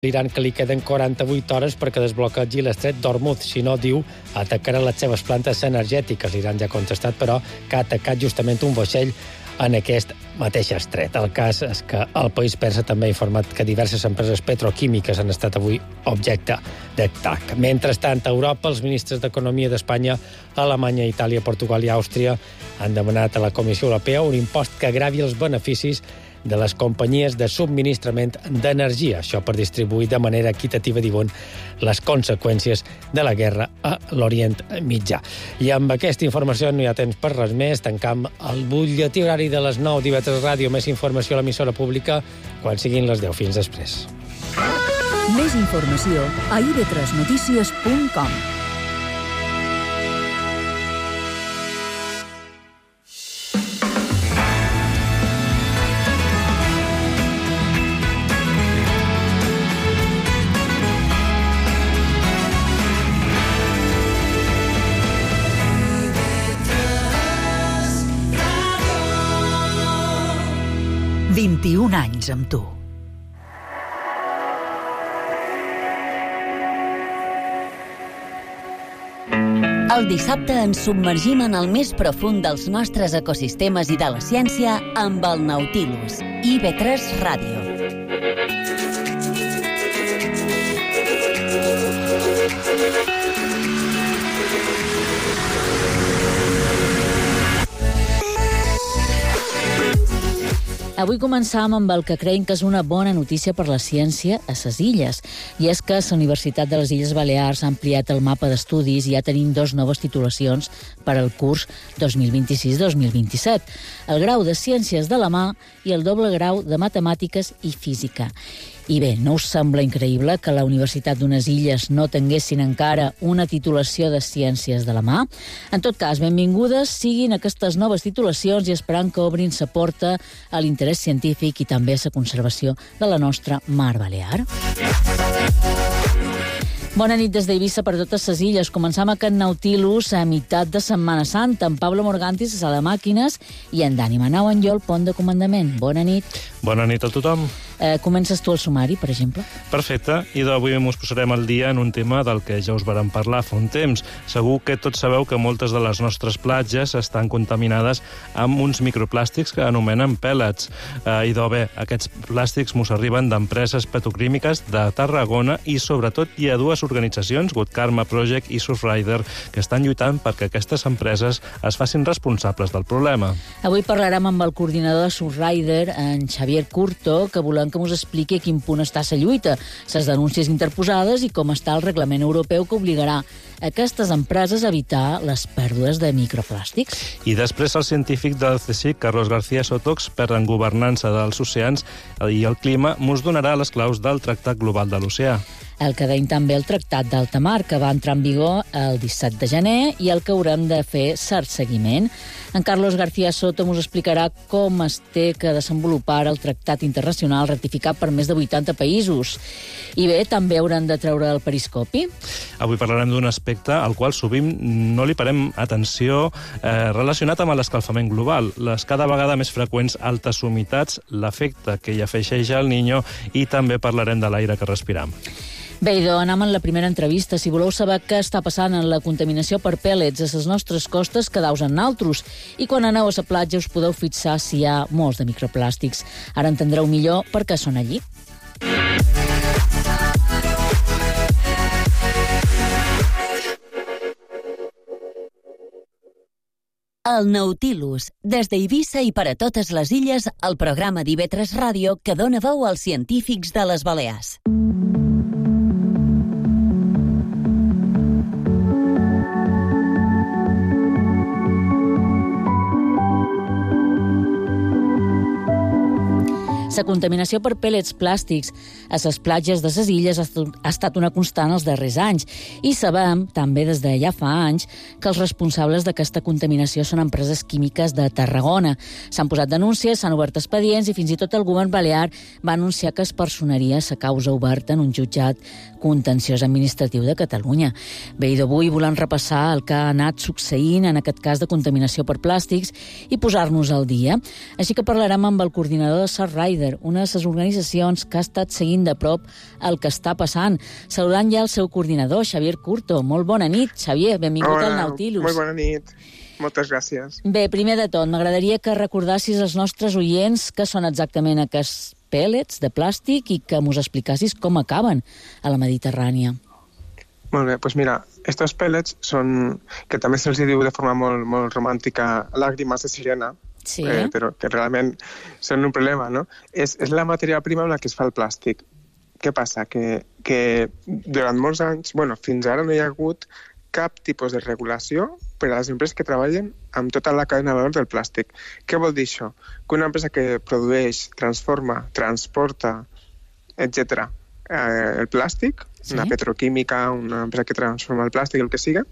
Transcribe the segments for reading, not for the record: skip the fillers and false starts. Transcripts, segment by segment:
l'Iran que li queden 48 hores perquè desbloquegi l'estret d'Hormuz. Si no, diu, atacarà les seves plantes energètiques. L'Iran ja ha contestat, però, que ha atacat justament un vaixell en aquest mateix estret. El cas és que el país persa també ha informat que diverses empreses petroquímiques han estat avui objecte d'atac. Mentrestant, a Europa, els ministres d'Economia d'Espanya, Alemanya, Itàlia, Portugal i Àustria han demanat a la Comissió Europea un impost que gravi els beneficis de les companyies de subministrament d'energia. Això per distribuir de manera equitativa, diuen, les conseqüències de la guerra a l'Orient Mitjà. I amb aquesta informació no hi ha temps per res més. Tancam el butlletí horari de les 9 d'IV3 Ràdio. Més informació a l'emissora pública quan siguin les 10. Fins després. Més informació a ib3notícies.com. Un anys amb tu. El dissabte ens submergim en el més profund dels nostres ecosistemes i de la ciència amb el Nautilus, IB3 Ràdio. Avui començam amb el que creiem que és una bona notícia per la ciència a ses illes. I és que la Universitat de les Illes Balears ha ampliat el mapa d'estudis i ja tenim 2 noves titulacions per al curs 2026-2027. El grau de Ciències de la Mà i el doble grau de Matemàtiques i Física. I bé, no us sembla increïble que la Universitat d'unes illes no tinguessin encara una titulació de Ciències de la Mà? En tot cas, benvingudes siguin aquestes noves titulacions i esperant que obrin sa porta a l'interès científic i també a la conservació de la nostra Mar Balear. Bona nit des d'Eivissa per totes les illes. Començam aquest Nautilus a meitat de Setmana Santa amb Pablo Morgantis a sala de màquines i en Dani Manau Enllol, pont de comandament. Bona nit. Bona nit a tothom. Comences tu el sumari, per exemple? Perfecte, i d'avui ens posarem al dia en un tema del que ja us vàrem parlar fa un temps. Segur que tots sabeu que moltes de les nostres platges estan contaminades amb uns microplàstics que anomenen pèl·lets. Idò bé, aquests plàstics mos arriben d'empreses petroquímiques de Tarragona i sobretot hi ha 2 organitzacions, Good Karma Project i Surfrider, que estan lluitant perquè aquestes empreses es facin responsables del problema. Avui parlarem amb el coordinador de Surfrider, en Xavier Curto, que volem que ens expliqui a quin punt està la lluita, les denúncies interposades i com està el reglament europeu que obligarà aquestes empreses a evitar les pèrdues de microplàstics. I després el científic del CSIC, Carlos García Soto, expert en governança dels oceans i el clima, mos donarà les claus del Tractat Global de l'Oceà. El que deim també el Tractat d'Alta Mar, que va entrar en vigor el 17 de gener i el que haurem de fer cert seguiment. En Carlos García Soto ens explicarà com es té que desenvolupar el tractat internacional ratificat per més de 80 països. I bé, també haurem de treure el periscopi. Avui parlarem d'un aspecte al qual sovint no li parem atenció relacionat amb l'escalfament global. Les cada vegada més freqüents altes humitats, l'efecte que hi afegeix el Niño i també parlarem de l'aire que respiram. Bé, idò, anem en la primera entrevista. Si voleu saber què està passant en la contaminació per pèl·lets a les nostres costes, quedau-vos en naltros. I quan aneu a la platja us podeu fixar si hi ha molts de microplàstics. Ara entendreu millor per què són allí. El Nautilus, des d'Eivissa i per a totes les illes, el programa d'IV3 Ràdio que dona veu als científics de les Balears. La contaminació per pèl·lets plàstics a les platges de les illes ha estat una constant els darrers anys i sabem, també des de ja fa anys, que els responsables d'aquesta contaminació són empreses químiques de Tarragona. S'han posat denúncies, s'han obert expedients i fins i tot el govern balear va anunciar que es personaria la causa oberta en un jutjat contenciós administratiu de Catalunya. Bé, i d'avui volem repassar el que ha anat succeint en aquest cas de contaminació per plàstics i posar-nos al dia. Així que parlarem amb el coordinador de Surfrider, Cleaner, una de les organitzacions que ha estat seguint de prop el que està passant. Saludant ja el seu coordinador, Xavier Curto. Molt bona nit, Xavier, benvingut al Nautilus. Molt bona nit, moltes gràcies. Bé, primer de tot, m'agradaria que recordassis als nostres oients què són exactament aquests pèl·lets de plàstic i que mos explicassis com acaben a la Mediterrània. Molt bé, doncs mira, estos pèl·lets són, que també se'ls diu de forma molt, molt romàntica, làgrimes de sirena, Sí. Però que realment són un problema, no? És la matèria prima amb la que es fa el plàstic. Què passa? Que durant molts anys, fins ara no hi ha hagut cap tipus de regulació per a les empreses que treballen amb tota la cadena de valor del plàstic. Què vol dir això? Que una empresa que produeix, transforma, transporta, etc., el plàstic, Sí. una petroquímica, una empresa que transforma el plàstic, el que siga,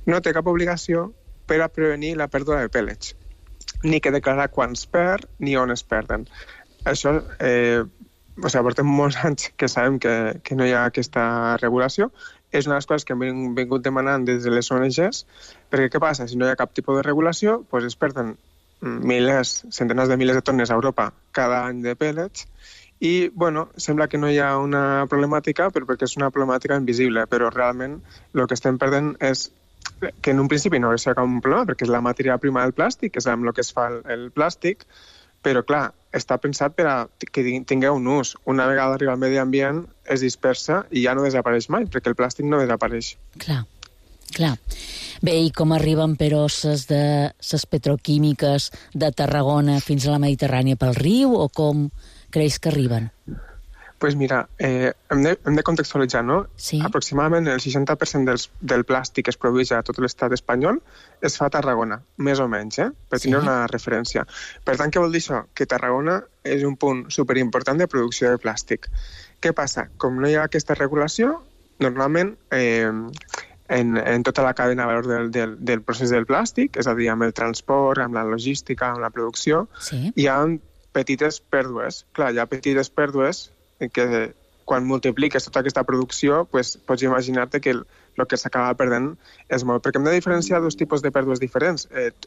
no té cap obligació per a prevenir la pèrdua de pèl·lets, ni que declarar quan es perd ni on es perden. Això, portem molts anys que sabem que no hi ha aquesta regulació. És una de les coses que hem vingut demanant des de les ONGs, perquè què passa? Si no hi ha cap tipus de regulació, doncs es perden centenars de milers de tones a Europa cada any de pèl·lets, i, sembla que no hi ha una problemàtica, però perquè és una problemàtica invisible, però realment el que estem perdent és que en un principi no hauria cap un problema, perquè és la matèria prima del plàstic, és amb el que es fa el plàstic, però, clar, està pensat per a que tingui un ús. Una vegada arriba al medi ambient, es dispersa i ja no desapareix mai, perquè el plàstic no desapareix. Clar. Bé, i com arriben, però, les petroquímiques de Tarragona fins a la Mediterrània pel riu, o com creus que arriben? Doncs mira, hem de contextualitzar, no? Sí. Aproximadament el 60% del plàstic que es produeix a tot l'estat espanyol es fa a Tarragona, més o menys, per tenir una referència. Per tant, què vol dir això? Que Tarragona és un punt superimportant de producció de plàstic. Què passa? Com no hi ha aquesta regulació, normalment en tota la cadena de valor del procés del plàstic, és a dir, amb el transport, amb la logística, amb la producció, hi ha petites pèrdues. Clar, hi ha petites pèrdues que quan multipliques tota aquesta producció, pots imaginar-te que el que s'acaba perdent és molt. Perquè hem de diferenciar dos tipus de pèrdues diferents.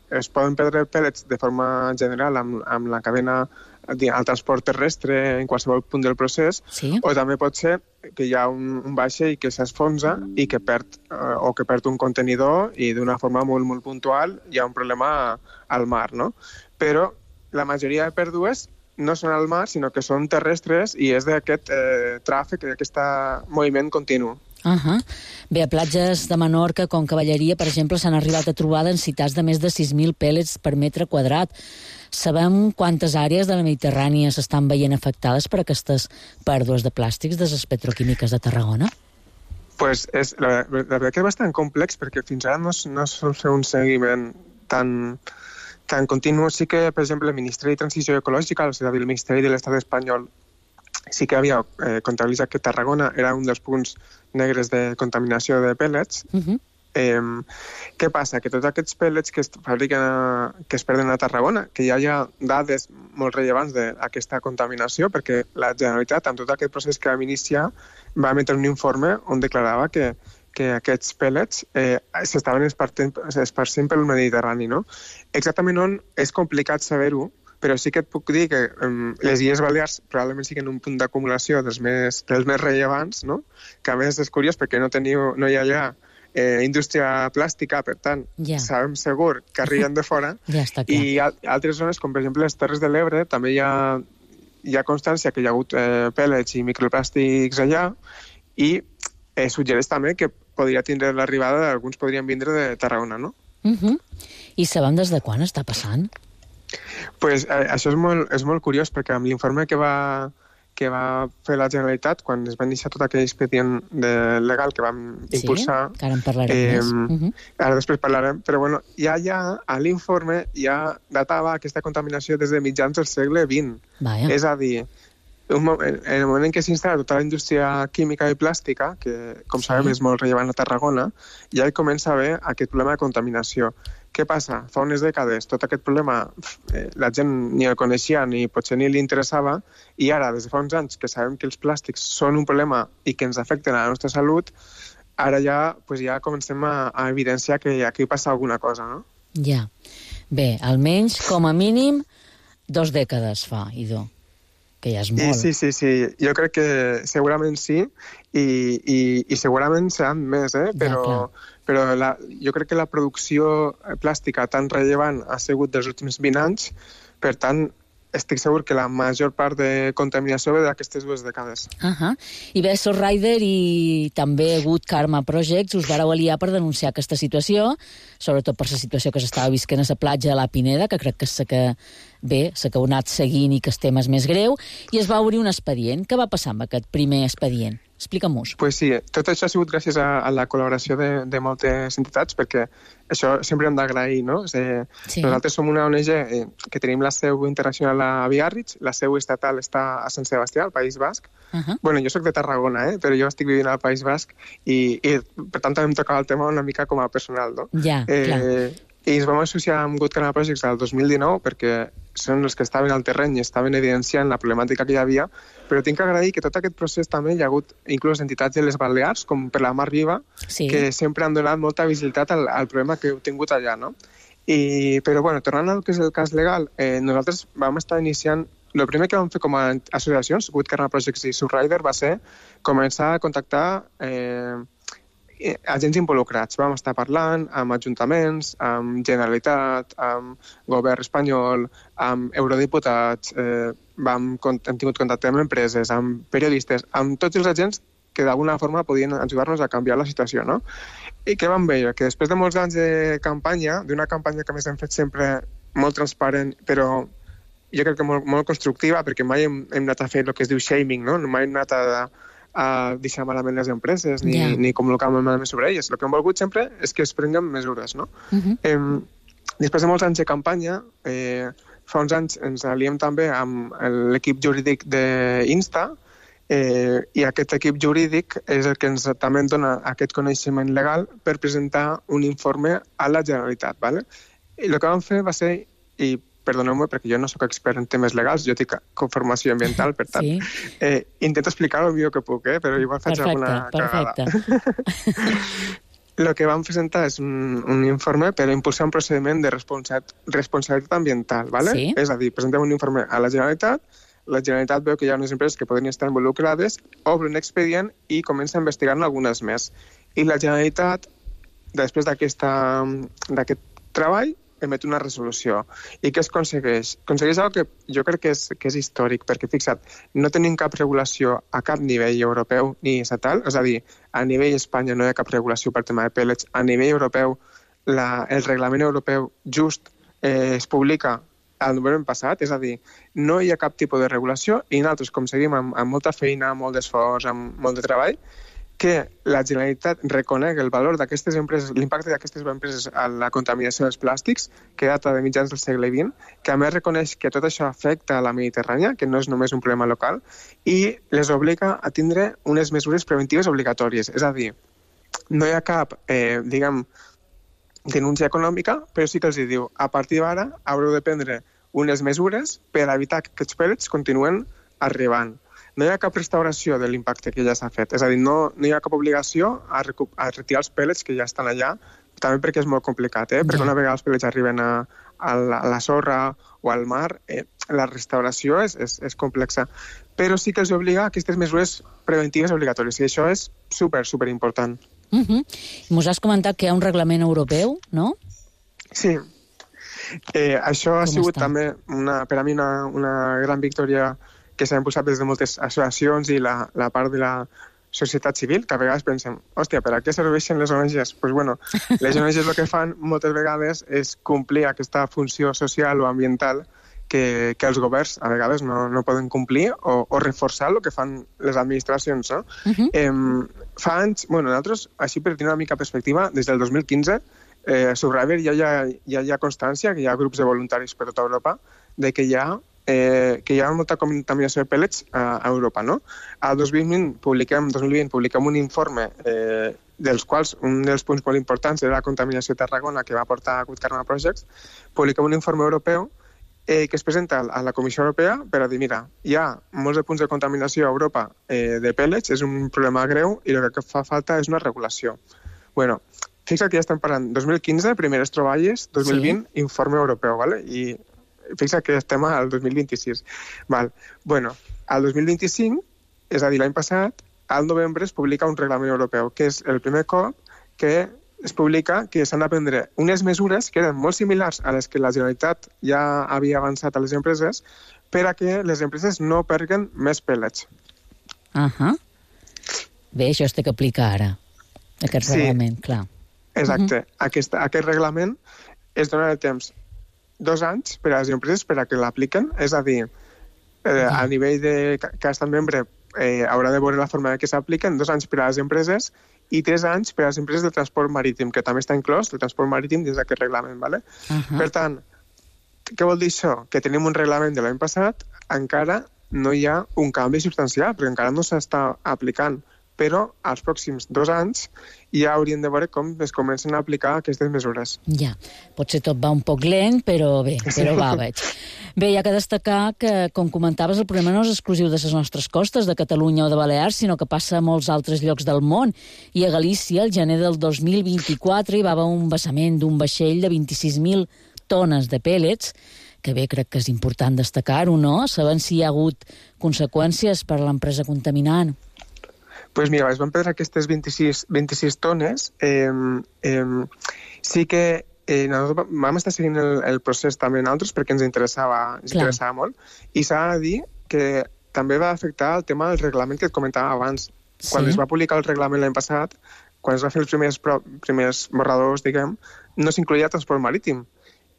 Es poden perdre pèl·lets de forma general amb la cadena, al transport terrestre, en qualsevol punt del procés, o també pot ser que hi ha un vaixell que s'esfonsa i que perd un contenidor i d'una forma molt, molt puntual hi ha un problema al mar, no? Però la majoria de pèrdues no són al mar, sinó que són terrestres i és d'aquest tràfic, d'aquest moviment continu. Bé, a platges de Menorca, com Cavalleria, per exemple, s'han arribat a trobar densitats de més de 6.000 pèl·lets per metre quadrat. Sabem quantes àrees de la Mediterrània s'estan veient afectades per aquestes pèrdues de plàstics de les petroquímiques de Tarragona? La veritat que és bastant complex, perquè fins ara no sol fer un seguiment tan continu. Sí que, per exemple, el Ministeri de Transició Ecològica, és a dir, el Ministeri de l'Estat espanyol, sí que havia comptabilitzat que Tarragona era un dels punts negres de contaminació de pèl·lets. Què passa? Que tots aquests pèl·lets que es fabriquen, que es perden a Tarragona, que ja hi ha dades molt rellevants d'aquesta contaminació, perquè la Generalitat, amb tot aquest procés que vam iniciar, va emetre un informe on declarava que aquests pèl·lets s'estaven esparcint pel Mediterrani, no? Exactament on és complicat saber-ho, però sí que et puc dir que les Illes Balears probablement siguin un punt d'acumulació dels més rellevants, no? Que a més és curiós perquè no hi ha allà indústria plàstica, per tant, sabem segur que arriben de fora. I altres zones, com per exemple les Terres de l'Ebre, també hi ha constància que hi ha hagut pèl·lets i microplàstics allà, i suggereix també que podria tindre l'arribada d'alguns podrien vindre de Tarragona, no? I sabem des de quan està passant? Pues això és molt curiós, perquè amb l'informe que va fer la Generalitat, quan es va iniciar tot aquell expedient legal que vam impulsar... Sí, que ara en parlarem més. Ara després parlarem, però bueno, ja a l'informe ja datava aquesta contaminació des de mitjans del segle XX. És a dir, en el moment en què s'instal·la tota la indústria química i plàstica, que com sabem és molt rellevant a Tarragona, ja hi comença a haver aquest problema de contaminació. Què passa? Fa unes dècades tot aquest problema la gent ni el coneixia ni potser ni li interessava, i ara, des de fa uns anys que sabem que els plàstics són un problema i que ens afecten a la nostra salut, ara ja comencem a evidenciar que aquí passa alguna cosa, no? Ja. Bé, almenys, com a mínim, 2 dècades fa, idò. que ja és molt. Sí. Jo crec que segurament sí, i segurament seran més, però jo crec que la producció plàstica tan rellevant ha sigut dels últims 20 anys, per tant, estic segur que la major part de contaminació ve d'aquestes 2 dècades. I bé, Sorrider i també Good Karma Projects us vareu aliar per denunciar aquesta situació, sobretot per la situació que s'estava visquent a la platja de la Pineda, que crec que s'ha heu anat seguint i que el tema és més greu, i es va obrir un expedient. Què va passar amb aquest primer expedient? Explica'm-ho. Pues sí, tot això ha sigut gràcies a la col·laboració de moltes entitats, perquè això sempre hem d'agrair, no? Nosaltres som una ONG que tenim la seu internacional a Biarritz, la seu estatal està a Sant Sebastià, al País Basc. Bueno, jo soc de Tarragona, però jo estic vivint al País Basc i per tant també em tocava el tema una mica com a personal, no? Ja, clar. I ens vam associar amb Good Karma Projects el 2019 perquè són els que estaven al terreny i estaven evidenciant la problemàtica que hi havia, però tinc que agrair que tot aquest procés també hi ha hagut inclús entitats de les Balears, com per la Mar Viva, que sempre han donat molta visibilitat al problema que heu tingut allà, no? Però, bueno, tornant al que és el cas legal, nosaltres vam estar iniciant. El primer que vam fer com a associacions, Good Karma Projects i Surrider, va ser començar a contactar agents involucrats. Vam estar parlant amb ajuntaments, amb Generalitat, amb govern espanyol, amb eurodiputats, hem tingut contacte amb empreses, amb periodistes, amb tots els agents que d'alguna forma podien ajudar-nos a canviar la situació, no? I què vam veure? Que després de molts anys de campanya, d'una campanya que més hem fet sempre molt transparent, però jo crec que molt constructiva, perquè mai hem anat a fer el que es diu shaming, no? Mai hem anat a deixar malament les empreses ni comunicar malament sobre elles. El que hem volgut sempre és que es prenguen mesures, no? Després de molts anys de campanya, fa uns anys ens aliem també amb l'equip jurídic d'Insta, i aquest equip jurídic és el que ens també dona aquest coneixement legal per presentar un informe a la Generalitat, ¿vale? I el que vam fer va ser, i perdoneu-me perquè jo no sóc expert en temes legals, jo tinc formació ambiental, per tant, intento explicar el millor que puc, però igual faig alguna cagada. El que vam presentar és un informe per impulsar un procediment de responsabilitat ambiental, ¿vale? És a dir, presentem un informe a la Generalitat veu que hi ha unes empreses que podrien estar involucrades, obre un expedient i comença a investigar-ne algunes més. I la Generalitat, després d'aquest treball, emet una resolució. I què es aconsegueix? Aconsegueix una cosa que jo crec que és històric, perquè, fixa't, no tenim cap regulació a cap nivell europeu ni estatal, és a dir, a nivell Espanya no hi ha cap regulació per tema de pèl·lets, a nivell europeu el reglament europeu just es publica el novembre passat, és a dir, no hi ha cap tipus de regulació i nosaltres, com seguim amb molta feina, molt d'esforç, amb molt de treball, que la Generalitat reconegui el valor d'aquestes empreses, l'impacte d'aquestes empreses a la contaminació dels plàstics, que data de mitjans del segle XX, que a més reconeix que tot això afecta a la Mediterrània, que no és només un problema local, i les obliga a tindre unes mesures preventives obligatòries. És a dir, no hi ha cap, denúncia econòmica, però sí que els diu, a partir d'ara haureu de prendre unes mesures per evitar que aquests pèl·lets continuen arribant. No hi ha cap restauració de l'impacte que ja s'ha fet. És a dir, no hi ha cap obligació a retirar els pèl·lets que ja estan allà, també perquè és molt complicat, perquè una vegada els pèl·lets arriben a la sorra o al mar, la restauració és complexa. Però sí que els obliga a aquestes mesures preventives obligatòries, i això és super important. Mos has comentat que hi ha un reglament europeu, no? Sí. Això ha sigut també per a mi una gran victòria que s'ha impulsat des de moltes associacions i la part de la societat civil, que a vegades pensem, hòstia, per a què serveixen les ONGs? Doncs bueno, les ONGs el que fan moltes vegades és complir aquesta funció social o ambiental que els governs a vegades no poden complir o reforçar el que fan les administracions, no? Fa anys, nosaltres, així per tenir una mica perspectiva, des del 2015, a Surrider ja hi ha constància, que hi ha grups de voluntaris per tota Europa, de que hi ha molta contaminació de pèl·lets a Europa, no? Al 2020 publiquem un informe dels quals un dels punts molt importants era la contaminació de Tarragona, que va portar a Good Karma Projects. Publiquem un informe europeu que es presenta a la Comissió Europea per a dir, mira, hi ha molts de punts de contaminació a Europa de pèl·lets, és un problema greu i el que fa falta és una regulació. Bueno, fixa't que ja estem parlant 2015, primeres troballes, 2020, informe europeu, ¿vale? I fixa que estem al 2026. Val. Bueno, al 2025, és a dir, l'any passat, al novembre es publica un reglament europeu, que és el primer cop que es publica que s'han de prendre unes mesures que eren molt similars a les que la Generalitat ja havia avançat a les empreses per a que les empreses no perguen més pèl·lets. Bé, això es té que aplicar ara, aquest reglament, clar. Exacte. Aquest reglament es dona el temps 2 anys per a les empreses per a que l'apliquen, és a dir, a nivell de cada estat membre haurà de veure la forma que s'apliquen, 2 anys per a les empreses i 3 anys per a les empreses de transport marítim, que també està inclòs el transport marítim dins d'aquest reglament. ¿Vale? Per tant, què vol dir això? Que tenim un reglament de l'any passat, encara no hi ha un canvi substancial, perquè encara no s'està aplicant, però als pròxims 2 anys ja haurien de veure com es comencen a aplicar aquestes mesures. Ja, potser tot va un poc lent, però bé, va, veig. Bé, hi ha que destacar que, com comentaves, el problema no és exclusiu de les nostres costes, de Catalunya o de Balears, sinó que passa a molts altres llocs del món. I a Galícia, el gener del 2024, hi va haver un vessament d'un vaixell de 26.000 tones de pèl·lets, que bé, crec que és important destacar-ho, no? Sabem si hi ha hagut conseqüències per a l'empresa contaminant. Pues mira, es van perdre aquestes 26 tones. Sí que nosaltres vam estar seguint el procés també en altres perquè ens interessava molt. I s'ha de dir que també va afectar el tema del reglament que et comentava abans. Quan es va publicar el reglament l'any passat, quan es va fer els primers borradors, diguem, no s'incloïa transport marítim.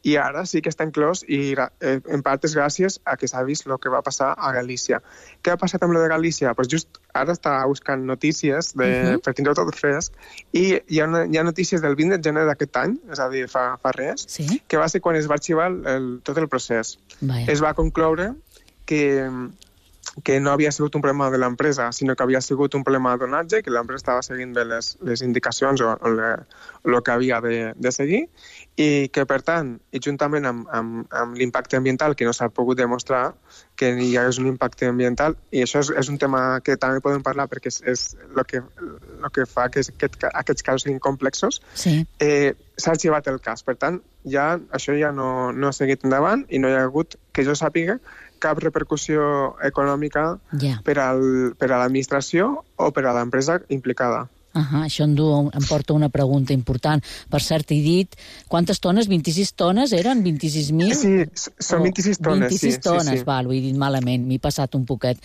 I ara sí que està inclòs i en part és gràcies a que s'ha vist el que va passar a Galícia. Què ha passat amb lo de Galícia? Pues just ara està buscant notícies per tindre tot fresc i hi ha notícies del 20 de gener d'aquest any, és a dir, fa res, que va ser quan es va arxivar tot el procés. Es va concloure que no havia sigut un problema de l'empresa, sinó que havia sigut un problema de donatge, que l'empresa estava seguint bé les indicacions o el que havia de seguir, i que, per tant, i juntament amb l'impacte ambiental, que no s'ha pogut demostrar que hi hagués un impacte ambiental, i això és un tema que també podem parlar perquè és el que fa que aquests casos siguin complexos, s'ha arxivat el cas. Per tant, això ja no ha seguit endavant i no hi ha hagut, que jo sàpiga, cap repercussió econòmica per a l'administració o per a l'empresa implicada. Això em porta una pregunta important. Per cert, he dit, quantes tones? 26 tones eren? 26.000? Sí, són 26 tones. 26 tones, val, ho he dit malament, m'he passat un poquet.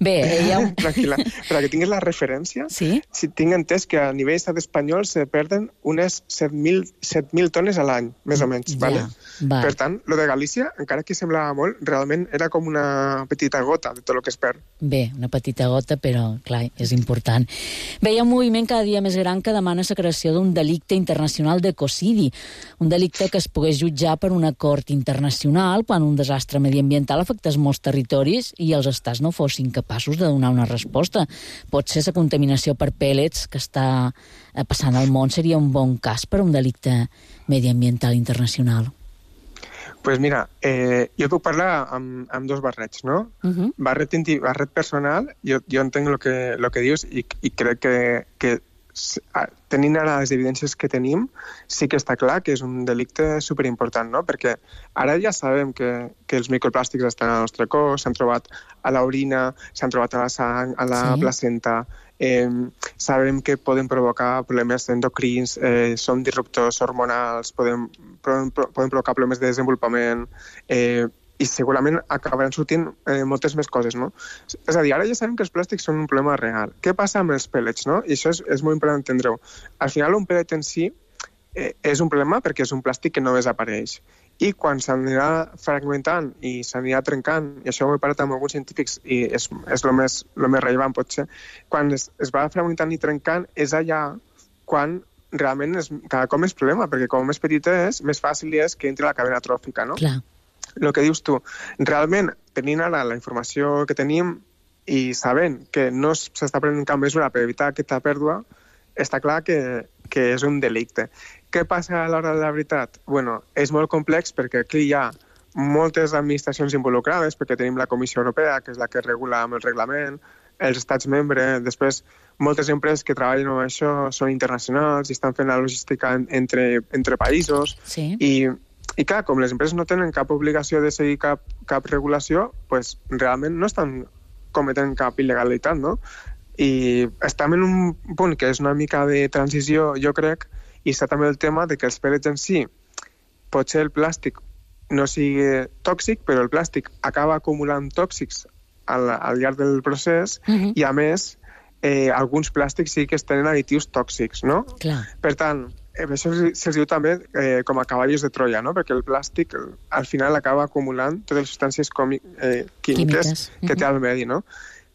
Bé, tranquil·la, per que tinguis la referència, si tinc entès que a nivell estat espanyol se perden unes 7.000 tones a l'any, més o menys. Per tant, lo de Galícia, encara que semblava molt, realment era com una petita gota de tot el que es perd. Bé, una petita gota, però, clar, és important. Bé, hi ha un moviment cada dia més gran que demana la creació d'un delicte internacional d'ecocidi, un delicte que es pogués jutjar per un acord internacional quan un desastre mediambiental afectés molts territoris i els estats no fossin capaços de donar una resposta. Potser la contaminació per pèl·lets que està passant al món seria un bon cas per a un delicte mediambiental internacional. Pues mira, jo puc parlar amb dos barrets, no? Barret personal, jo entenc el que dius i crec que tenint ara les evidències que tenim, sí que està clar que és un delicte superimportant, no? Perquè ara ja sabem que els microplàstics estan al nostre cos, s'han trobat a l'orina, s'han trobat a la sang, a la placenta, sabem que poden provocar problemes endocrins, són disruptors hormonals, poden provocar problemes de desenvolupament i segurament acabaran sortint moltes més coses, no? És a dir, ara ja sabem que els plàstics són un problema real. Què passa amb els pèl·lets, no? I això és molt important entendre-ho. Al final, un pèl·let en si és un problema perquè és un plàstic que no desapareix. I quan s'anirà fragmentant i s'anirà trencant, i això ho he parlat amb alguns científics i és el més rellevant potser, quan es va fragmentant i trencant és allà quan realment cada cop més problema, perquè com més petita és, més fàcil és que entri a la cadena tròfica, no? Clar. El que dius tu, realment, tenint ara la informació que tenim i sabent que no s'està prenent cap mesura per evitar aquesta pèrdua, està clar que és un delicte. Què passa a l'hora de la veritat? Bueno, és molt complex perquè aquí hi ha moltes administracions involucrades, perquè tenim la Comissió Europea, que és la que regula amb el reglament, els estats membres, després moltes empreses que treballen amb això són internacionals i estan fent la logística entre països i I clar, com les empreses no tenen cap obligació de seguir cap regulació, pues, realment no estan cometent cap il·legalitat, no? I estem en un punt que és una mica de transició, jo crec, i està també el tema de que els pèl·lets en si, potser el plàstic no sigui tòxic, però el plàstic acaba acumulant tòxics al llarg del procés i, a més, alguns plàstics sí que tenen additius tòxics, no? Clar. Per tant, això se'ls diu també com a cavallos de Troia, no? Perquè el plàstic al final acaba acumulant totes les substàncies químiques que té al medi, no?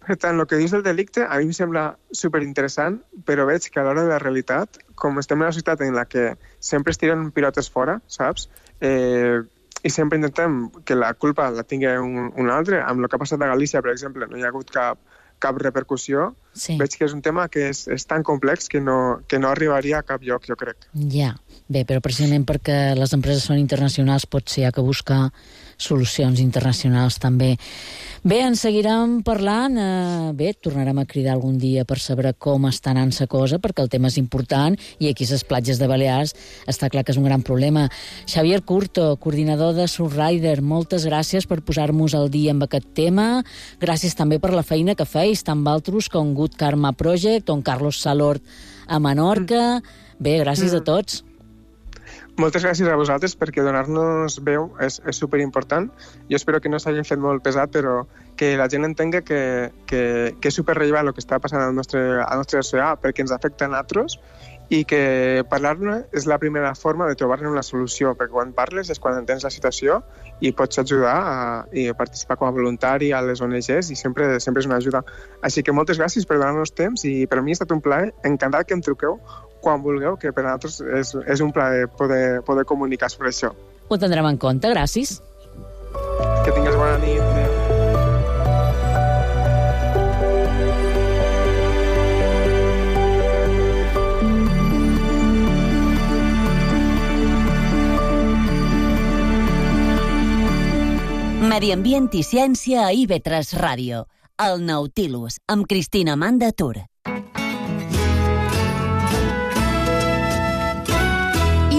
Per tant, el que dius del delicte a mi em sembla superinteressant, però veig que a l'hora de la realitat, com estem en una societat en la que sempre es tiren pilotes fora, saps? I sempre intentem que la culpa la tingui un altre. Amb el que ha passat a Galícia, per exemple, no hi ha hagut cap repercussió. Sí. Veig que és un tema que és tan complex que no arribaria a cap lloc, jo crec. Ja, bé, però precisament perquè les empreses són internacionals potser hi ha que buscar solucions internacionals també. Bé, ens seguirem parlant. Bé, tornarem a cridar algun dia per saber com està anant la cosa, perquè el tema és important i aquí a les platges de Balears està clar que és un gran problema. Xavier Curto, coordinador de Surrider, moltes gràcies per posar-nos al dia amb aquest tema. Gràcies també per la feina que feis, tant vosaltres com Good Karma Project, on Carlos Salort a Menorca. Bé, gràcies a tots. Moltes gràcies a vosaltres perquè donar-nos veu és superimportant. Jo espero que no s'hagi fet molt pesat, però que la gent entengui que és superrellevant el que està passant al nostre oceà perquè ens afecta a nosaltres i que parlar-ne és la primera forma de trobar-ne una solució, perquè quan parles és quan entens la situació i pots ajudar a participar com a voluntari a les ONGs i sempre és una ajuda. Així que moltes gràcies per donar-nos temps i per mi ha estat un plaer, encantat que em truqueu quan vulgueu, que per a nosaltres és un plaer poder comunicar sobre això. Ho tindrem en compte, gràcies. Que tingues bona nit. Medi Ambient i Ciència a IB3 Ràdio. El Nautilus, amb Cristina Manda Tur.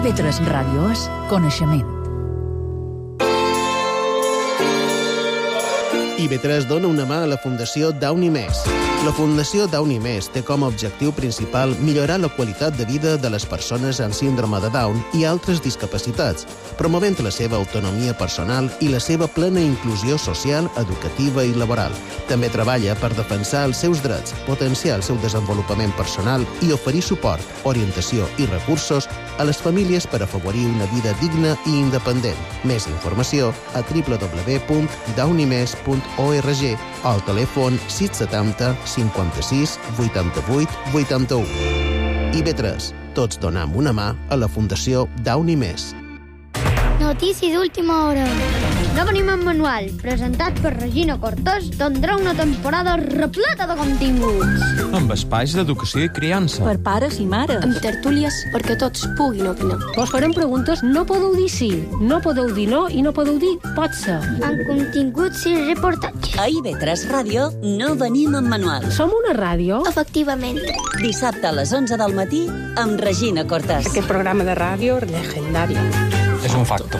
IB3 Ràdio és coneixement. IB3 dona una mà a la Fundació Downy Més. La Fundació Downy Més té com a objectiu principal millorar la qualitat de vida de les persones amb síndrome de Down i altres discapacitats, promovent la seva autonomia personal i la seva plena inclusió social, educativa i laboral. També treballa per defensar els seus drets, potenciar el seu desenvolupament personal i oferir suport, orientació i recursos a les famílies per afavorir una vida digna i independent. Més informació a www.downymes.org o al telèfon 670 56 88 81. IB3. Tots donem una mà a la Fundació Downy Més. Notícies d'última hora. No venim en manual, presentat per Regina Cortés, tindrà una temporada repleta de continguts. Amb espais d'educació i criança. Per pares i mares. Amb tertúlies perquè tots puguin opinar. Vos farem preguntes, no podeu dir sí, no podeu dir no i no podeu dir pot ser. Amb continguts i reportatges. A IB3 Ràdio no venim en manual. Som una ràdio? Efectivament. Dissabte a les 11 del matí amb Regina Cortés. Aquest programa de ràdio legendari. És un facto.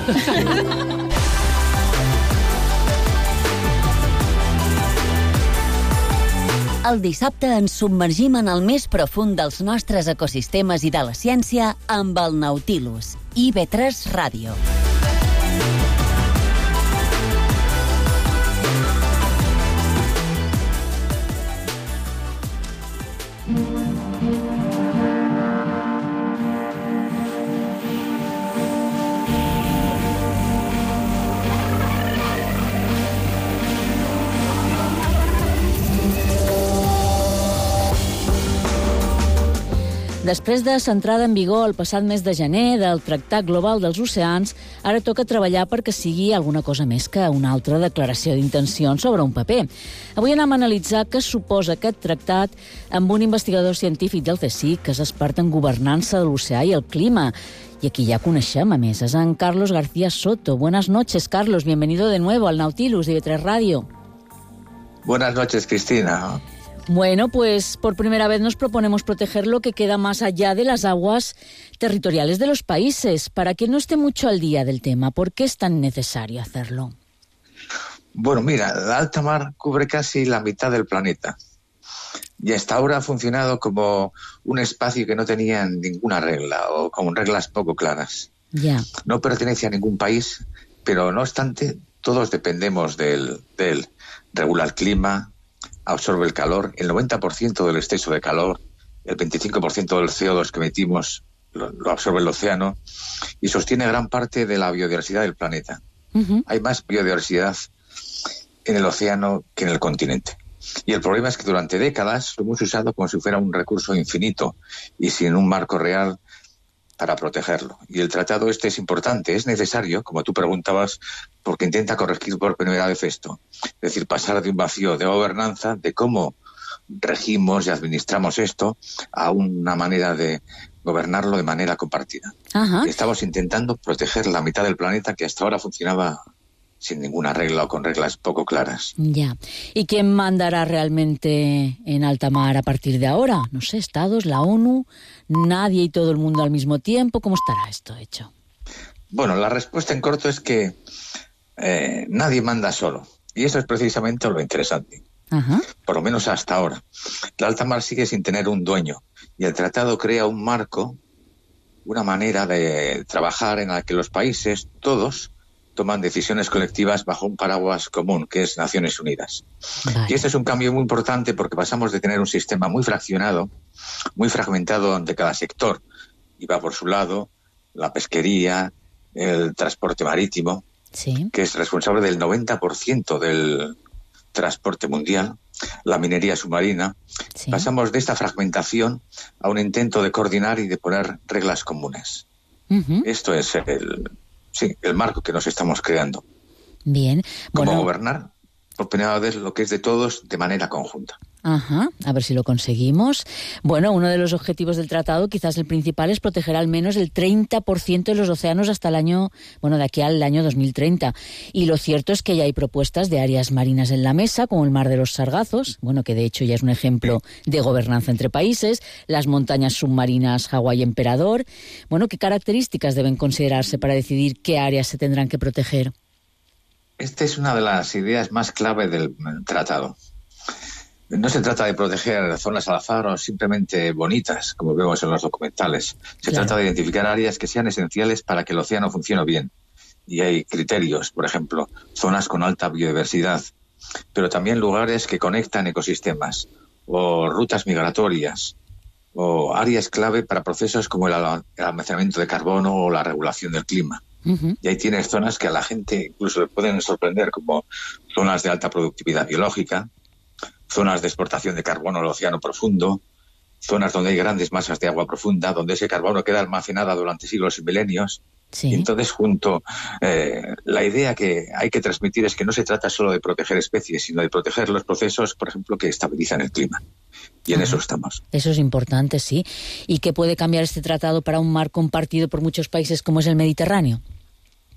El dissabte ens submergim en el més profund dels nostres ecosistemes i de la ciència amb el Nautilus. IB3 Ràdio. Després de l'entrada en vigor el passat mes de gener del Tractat Global dels Oceans, ara toca treballar perquè sigui alguna cosa més que una altra declaració d'intencions sobre un paper. Avui anem a analitzar què suposa aquest tractat amb un investigador científic del CSIC que és expert en governança de l'oceà i el clima. Y aquí ya coneixem, a més, és en Carlos García Soto. Buenas noches, Carlos. Bienvenido de nuevo al Nautilus de IB3 Radio. Buenas noches, Cristina. Bueno, pues por primera vez nos proponemos proteger lo que queda más allá de las aguas territoriales de los países. Para quien no esté mucho al día del tema, ¿por qué es tan necesario hacerlo? Bueno, mira, la alta mar cubre casi la mitad del planeta y hasta ahora ha funcionado como un espacio que no tenía ninguna regla o con reglas poco claras. Ya. No pertenece a ningún país, pero no obstante, todos dependemos de él. Regula el clima, absorbe el calor, el 90% del exceso de calor, el 25% del CO2 que emitimos lo absorbe el océano y sostiene gran parte de la biodiversidad del planeta. Uh-huh. Hay más biodiversidad en el océano que en el continente. Y el problema es que durante décadas lo hemos usado como si fuera un recurso infinito y sin un marco real para protegerlo. Y el tratado este es importante, es necesario, como tú preguntabas, porque intenta corregir por primera vez esto. Es decir, pasar de un vacío de gobernanza, de cómo regimos y administramos esto, a una manera de gobernarlo de manera compartida. Ajá. Estamos intentando proteger la mitad del planeta que hasta ahora funcionaba sin ninguna regla o con reglas poco claras. Ya. ¿Y quién mandará realmente en alta mar a partir de ahora? No sé, Estados, la ONU, nadie y todo el mundo al mismo tiempo. ¿Cómo estará esto hecho? Bueno, la respuesta en corto es que nadie manda solo. Y eso es precisamente lo interesante. Ajá. Por lo menos hasta ahora. La alta mar sigue sin tener un dueño. Y el tratado crea un marco, una manera de trabajar en la que los países, todos, toman decisiones colectivas bajo un paraguas común, que es Naciones Unidas. Vale. Y este es un cambio muy importante porque pasamos de tener un sistema muy fraccionado, muy fragmentado de cada sector, y va por su lado la pesquería, el transporte marítimo, sí, que es responsable del 90% del transporte mundial, la minería submarina. Sí. Pasamos de esta fragmentación a un intento de coordinar y de poner reglas comunes. Uh-huh. Esto es el marco que nos estamos creando. Bien. Cómo gobernar, por primera vez, lo que es de todos de manera conjunta. Ajá, a ver si lo conseguimos. Bueno, uno de los objetivos del tratado, quizás el principal, es proteger al menos el 30% de los océanos hasta el año, de aquí al año 2030. Y lo cierto es que ya hay propuestas de áreas marinas en la mesa, como el Mar de los Sargazos, que de hecho ya es un ejemplo de gobernanza entre países, las montañas submarinas Hawái Emperador. ¿Qué características deben considerarse para decidir qué áreas se tendrán que proteger? Esta es una de las ideas más clave del tratado. No se trata de proteger zonas al azar o simplemente bonitas, como vemos en los documentales. Se trata de identificar áreas que sean esenciales para que el océano funcione bien. Y hay criterios, por ejemplo, zonas con alta biodiversidad, pero también lugares que conectan ecosistemas, o rutas migratorias, o áreas clave para procesos como el almacenamiento de carbono o la regulación del clima. Uh-huh. Y ahí tienes zonas que a la gente incluso le pueden sorprender, como zonas de alta productividad biológica, zonas de exportación de carbono al océano profundo, zonas donde hay grandes masas de agua profunda, donde ese carbono queda almacenado durante siglos y milenios. Sí. Y entonces, la idea que hay que transmitir es que no se trata solo de proteger especies, sino de proteger los procesos, por ejemplo, que estabilizan el clima. Y en eso estamos. Eso es importante, sí. ¿Y qué puede cambiar este tratado para un mar compartido por muchos países como es el Mediterráneo?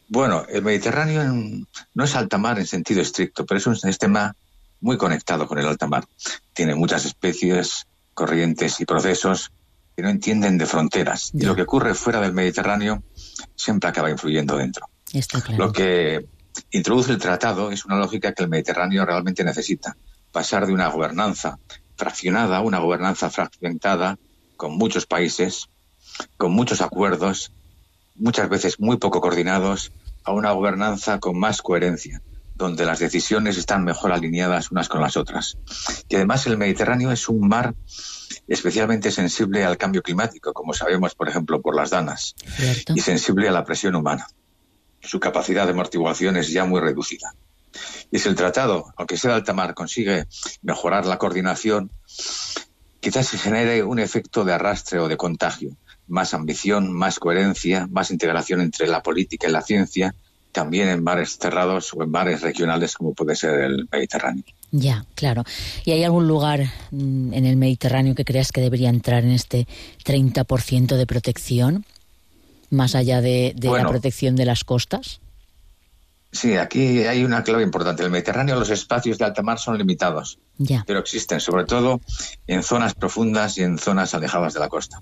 Bueno, el Mediterráneo no es alta mar en sentido estricto, pero es un sistema muy conectado con el alta mar. Tiene muchas especies, corrientes y procesos que no entienden de fronteras. Y lo que ocurre fuera del Mediterráneo siempre acaba influyendo dentro. Está claro. Lo que introduce el tratado es una lógica que el Mediterráneo realmente necesita. Pasar de una gobernanza fraccionada a una gobernanza fragmentada, con muchos países, con muchos acuerdos, muchas veces muy poco coordinados, a una gobernanza con más coherencia, donde las decisiones están mejor alineadas unas con las otras. Y además el Mediterráneo es un mar especialmente sensible al cambio climático, como sabemos, por ejemplo, por las danas, y sensible a la presión humana. Su capacidad de amortiguación es ya muy reducida. Y si el tratado, aunque sea de alta mar, consigue mejorar la coordinación, quizás se genere un efecto de arrastre o de contagio. Más ambición, más coherencia, más integración entre la política y la ciencia, también en mares cerrados o en mares regionales como puede ser el Mediterráneo. Ya, claro. ¿Y hay algún lugar en el Mediterráneo que creas que debería entrar en este 30% de protección, más allá de la protección de las costas? Sí, aquí hay una clave importante. En el Mediterráneo los espacios de alta mar son limitados, pero existen, sobre todo en zonas profundas y en zonas alejadas de la costa.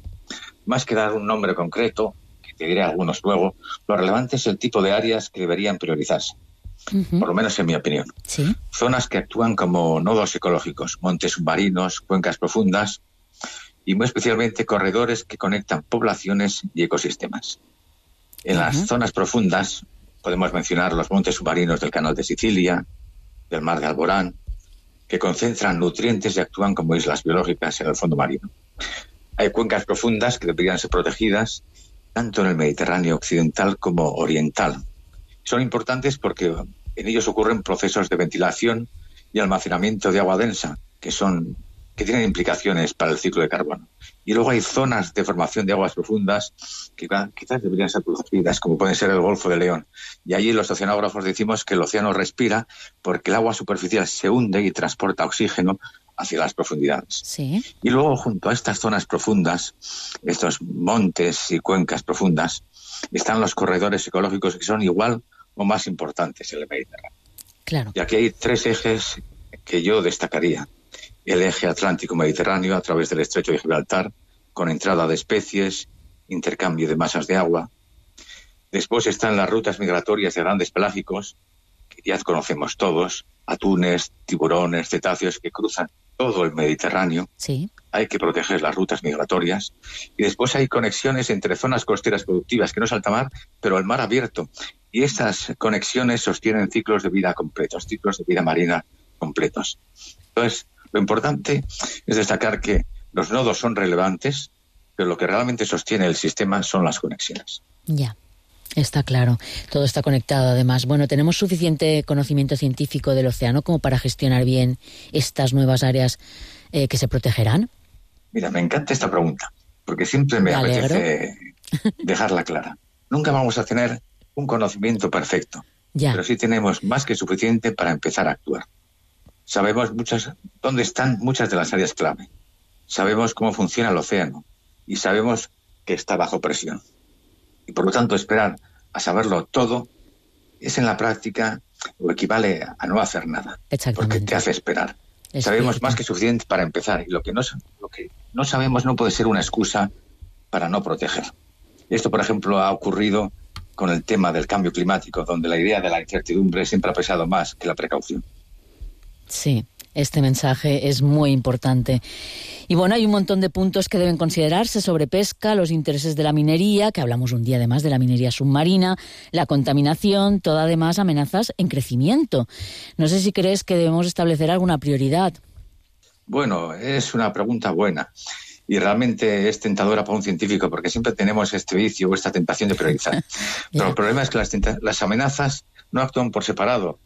Más que dar un nombre concreto, que te diré algunos luego, lo relevante es el tipo de áreas que deberían priorizarse, por lo menos en mi opinión. ¿Sí? Zonas que actúan como nodos ecológicos, montes submarinos, cuencas profundas y muy especialmente corredores que conectan poblaciones y ecosistemas. En las zonas profundas podemos mencionar los montes submarinos del Canal de Sicilia, del Mar de Alborán, que concentran nutrientes y actúan como islas biológicas en el fondo marino. Hay cuencas profundas que deberían ser protegidas tanto en el Mediterráneo occidental como oriental. Son importantes porque en ellos ocurren procesos de ventilación y almacenamiento de agua densa, que tienen implicaciones para el ciclo de carbono. Y luego hay zonas de formación de aguas profundas que quizás deberían ser protegidas, como puede ser el Golfo de León. Y allí los oceanógrafos decimos que el océano respira porque el agua superficial se hunde y transporta oxígeno hacia las profundidades. Sí. Y luego, junto a estas zonas profundas, estos montes y cuencas profundas, están los corredores ecológicos que son igual o más importantes en el Mediterráneo. Claro. Y aquí hay 3 ejes que yo destacaría. El eje Atlántico-Mediterráneo a través del Estrecho de Gibraltar, con entrada de especies, intercambio de masas de agua. Después están las rutas migratorias de grandes pelágicos, que ya conocemos todos, atunes, tiburones, cetáceos que cruzan todo el Mediterráneo. Sí. Hay que proteger las rutas migratorias. Y después hay conexiones entre zonas costeras productivas, que no es alta mar, pero el mar abierto. Y estas conexiones sostienen ciclos de vida completos, ciclos de vida marina completos. Entonces, lo importante es destacar que los nodos son relevantes, pero lo que realmente sostiene el sistema son las conexiones. Ya, está claro. Todo está conectado, además. Bueno, ¿tenemos suficiente conocimiento científico del océano como para gestionar bien estas nuevas áreas que se protegerán? Mira, me encanta esta pregunta, porque siempre me apetece dejarla clara. Nunca vamos a tener un conocimiento perfecto, pero sí tenemos más que suficiente para empezar a actuar. Sabemos dónde están muchas de las áreas clave. Sabemos cómo funciona el océano y sabemos que está bajo presión. Y por lo tanto, esperar a saberlo todo es en la práctica o equivale a no hacer nada, porque te hace esperar. Sabemos más que suficiente para empezar y lo que no sabemos no puede ser una excusa para no proteger. Esto, por ejemplo, ha ocurrido con el tema del cambio climático, donde la idea de la incertidumbre siempre ha pesado más que la precaución. Sí, este mensaje es muy importante. Y bueno, hay un montón de puntos que deben considerarse sobre pesca, los intereses de la minería, que hablamos un día además de la minería submarina, la contaminación, todo además amenazas en crecimiento. No sé si crees que debemos establecer alguna prioridad. Bueno, es una pregunta buena y realmente es tentadora para un científico porque siempre tenemos este vicio o esta tentación de priorizar. Pero el problema es que las amenazas no actúan por separado.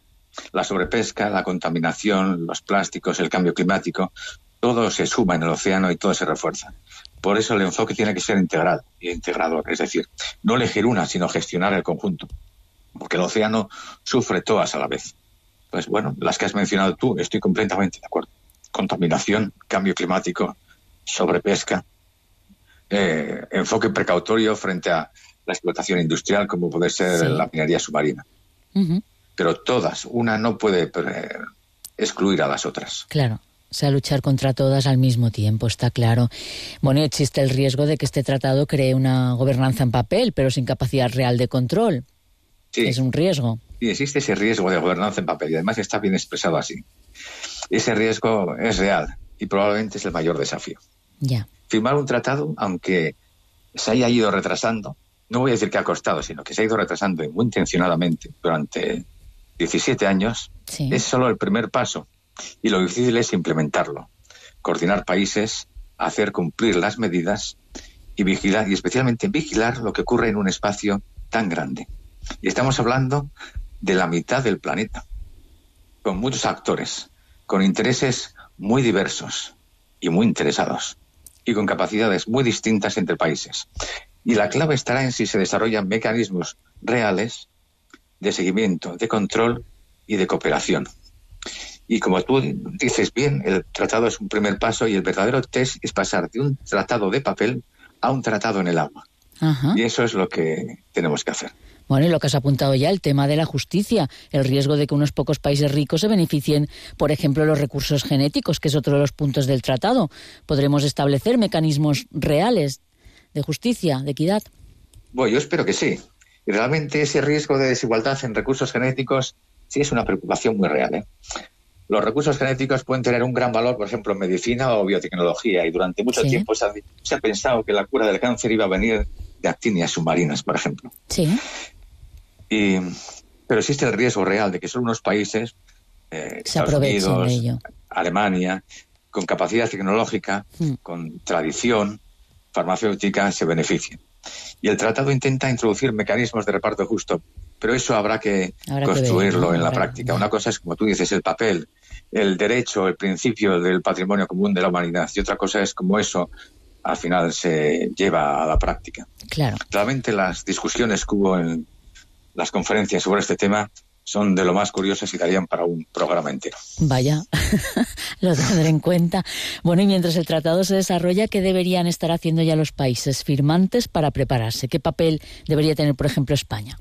La sobrepesca, la contaminación, los plásticos, el cambio climático, todo se suma en el océano y todo se refuerza. Por eso el enfoque tiene que ser integral e integrador, es decir, no elegir una, sino gestionar el conjunto, porque el océano sufre todas a la vez. Pues bueno, las que has mencionado tú, estoy completamente de acuerdo. Contaminación, cambio climático, sobrepesca, enfoque precautorio frente a la explotación industrial, como puede ser la minería submarina. Uh-huh. Pero todas, una no puede excluir a las otras. Claro, o sea, luchar contra todas al mismo tiempo, está claro. Bueno, existe el riesgo de que este tratado cree una gobernanza en papel, pero sin capacidad real de control. Sí. Es un riesgo. Sí, existe ese riesgo de gobernanza en papel y además está bien expresado así. Ese riesgo es real y probablemente es el mayor desafío. Ya. Firmar un tratado, aunque se haya ido retrasando, no voy a decir que ha costado, sino que se ha ido retrasando muy intencionadamente durante 17 años, sí. Es solo el primer paso y lo difícil es implementarlo, coordinar países, hacer cumplir las medidas y vigilar, y especialmente vigilar lo que ocurre en un espacio tan grande. Y estamos hablando de la mitad del planeta, con muchos actores, con intereses muy diversos y muy interesados, y con capacidades muy distintas entre países. Y la clave estará en si se desarrollan mecanismos reales de seguimiento, de control y de cooperación. Y como tú dices bien, el tratado es un primer paso y el verdadero test es pasar de un tratado de papel a un tratado en el agua. Ajá. Y eso es lo que tenemos que hacer. Bueno, y lo que has apuntado ya, el tema de la justicia, el riesgo de que unos pocos países ricos se beneficien, por ejemplo, los recursos genéticos, que es otro de los puntos del tratado. ¿Podremos establecer mecanismos reales de justicia, de equidad? Bueno, yo espero que sí. Y realmente ese riesgo de desigualdad en recursos genéticos sí es una preocupación muy real, ¿eh? Los recursos genéticos pueden tener un gran valor, por ejemplo, en medicina o biotecnología, y durante mucho tiempo se ha pensado que la cura del cáncer iba a venir de actinias submarinas, por ejemplo. Sí. Pero existe el riesgo real de que solo unos países, Estados Unidos, de ello. Alemania, con capacidad tecnológica, con tradición farmacéutica, se beneficien. Y el tratado intenta introducir mecanismos de reparto justo, pero eso habrá que construirlo en la práctica. Una cosa es, como tú dices, el papel, el derecho, el principio del patrimonio común de la humanidad, y otra cosa es cómo eso al final se lleva a la práctica. Claro. Realmente las discusiones que hubo en las conferencias sobre este tema son de lo más curiosas y darían para un programa entero. Vaya, lo tendré en cuenta. Bueno, y mientras el tratado se desarrolla, ¿qué deberían estar haciendo ya los países firmantes para prepararse? ¿Qué papel debería tener, por ejemplo, España?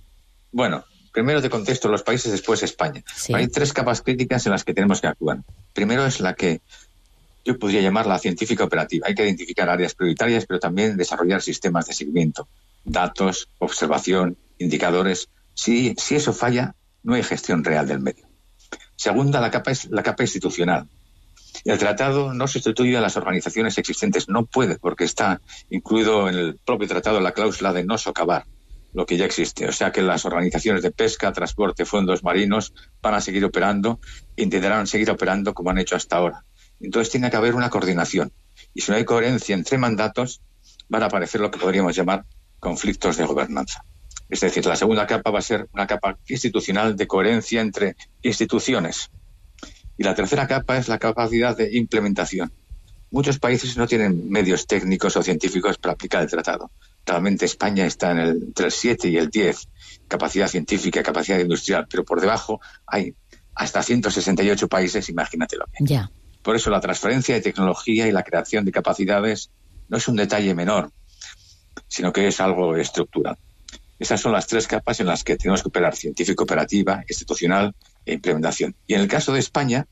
Bueno, primero te contesto los países, después España. Sí. Hay 3 capas críticas en las que tenemos que actuar. Primero es la que yo podría llamar la científica operativa. Hay que identificar áreas prioritarias, pero también desarrollar sistemas de seguimiento, datos, observación, indicadores. Si eso falla, no hay gestión real del medio. Segunda, la capa institucional. El tratado no sustituye a las organizaciones existentes, no puede, porque está incluido en el propio tratado la cláusula de no socavar lo que ya existe. O sea que las organizaciones de pesca, transporte, fondos marinos van a seguir operando e intentarán seguir operando como han hecho hasta ahora. Entonces tiene que haber una coordinación. Y si no hay coherencia entre mandatos, van a aparecer lo que podríamos llamar conflictos de gobernanza. Es decir, la segunda capa va a ser una capa institucional de coherencia entre instituciones. Y la tercera capa es la capacidad de implementación. Muchos países no tienen medios técnicos o científicos para aplicar el tratado. Realmente España está entre el 7 y el 10, capacidad científica, capacidad industrial, pero por debajo hay hasta 168 países, imagínatelo bien. Ya. Por eso la transferencia de tecnología y la creación de capacidades no es un detalle menor, sino que es algo estructural. Esas son las 3 capas en las que tenemos que operar: científico-operativa, institucional e implementación. Y en el caso de España,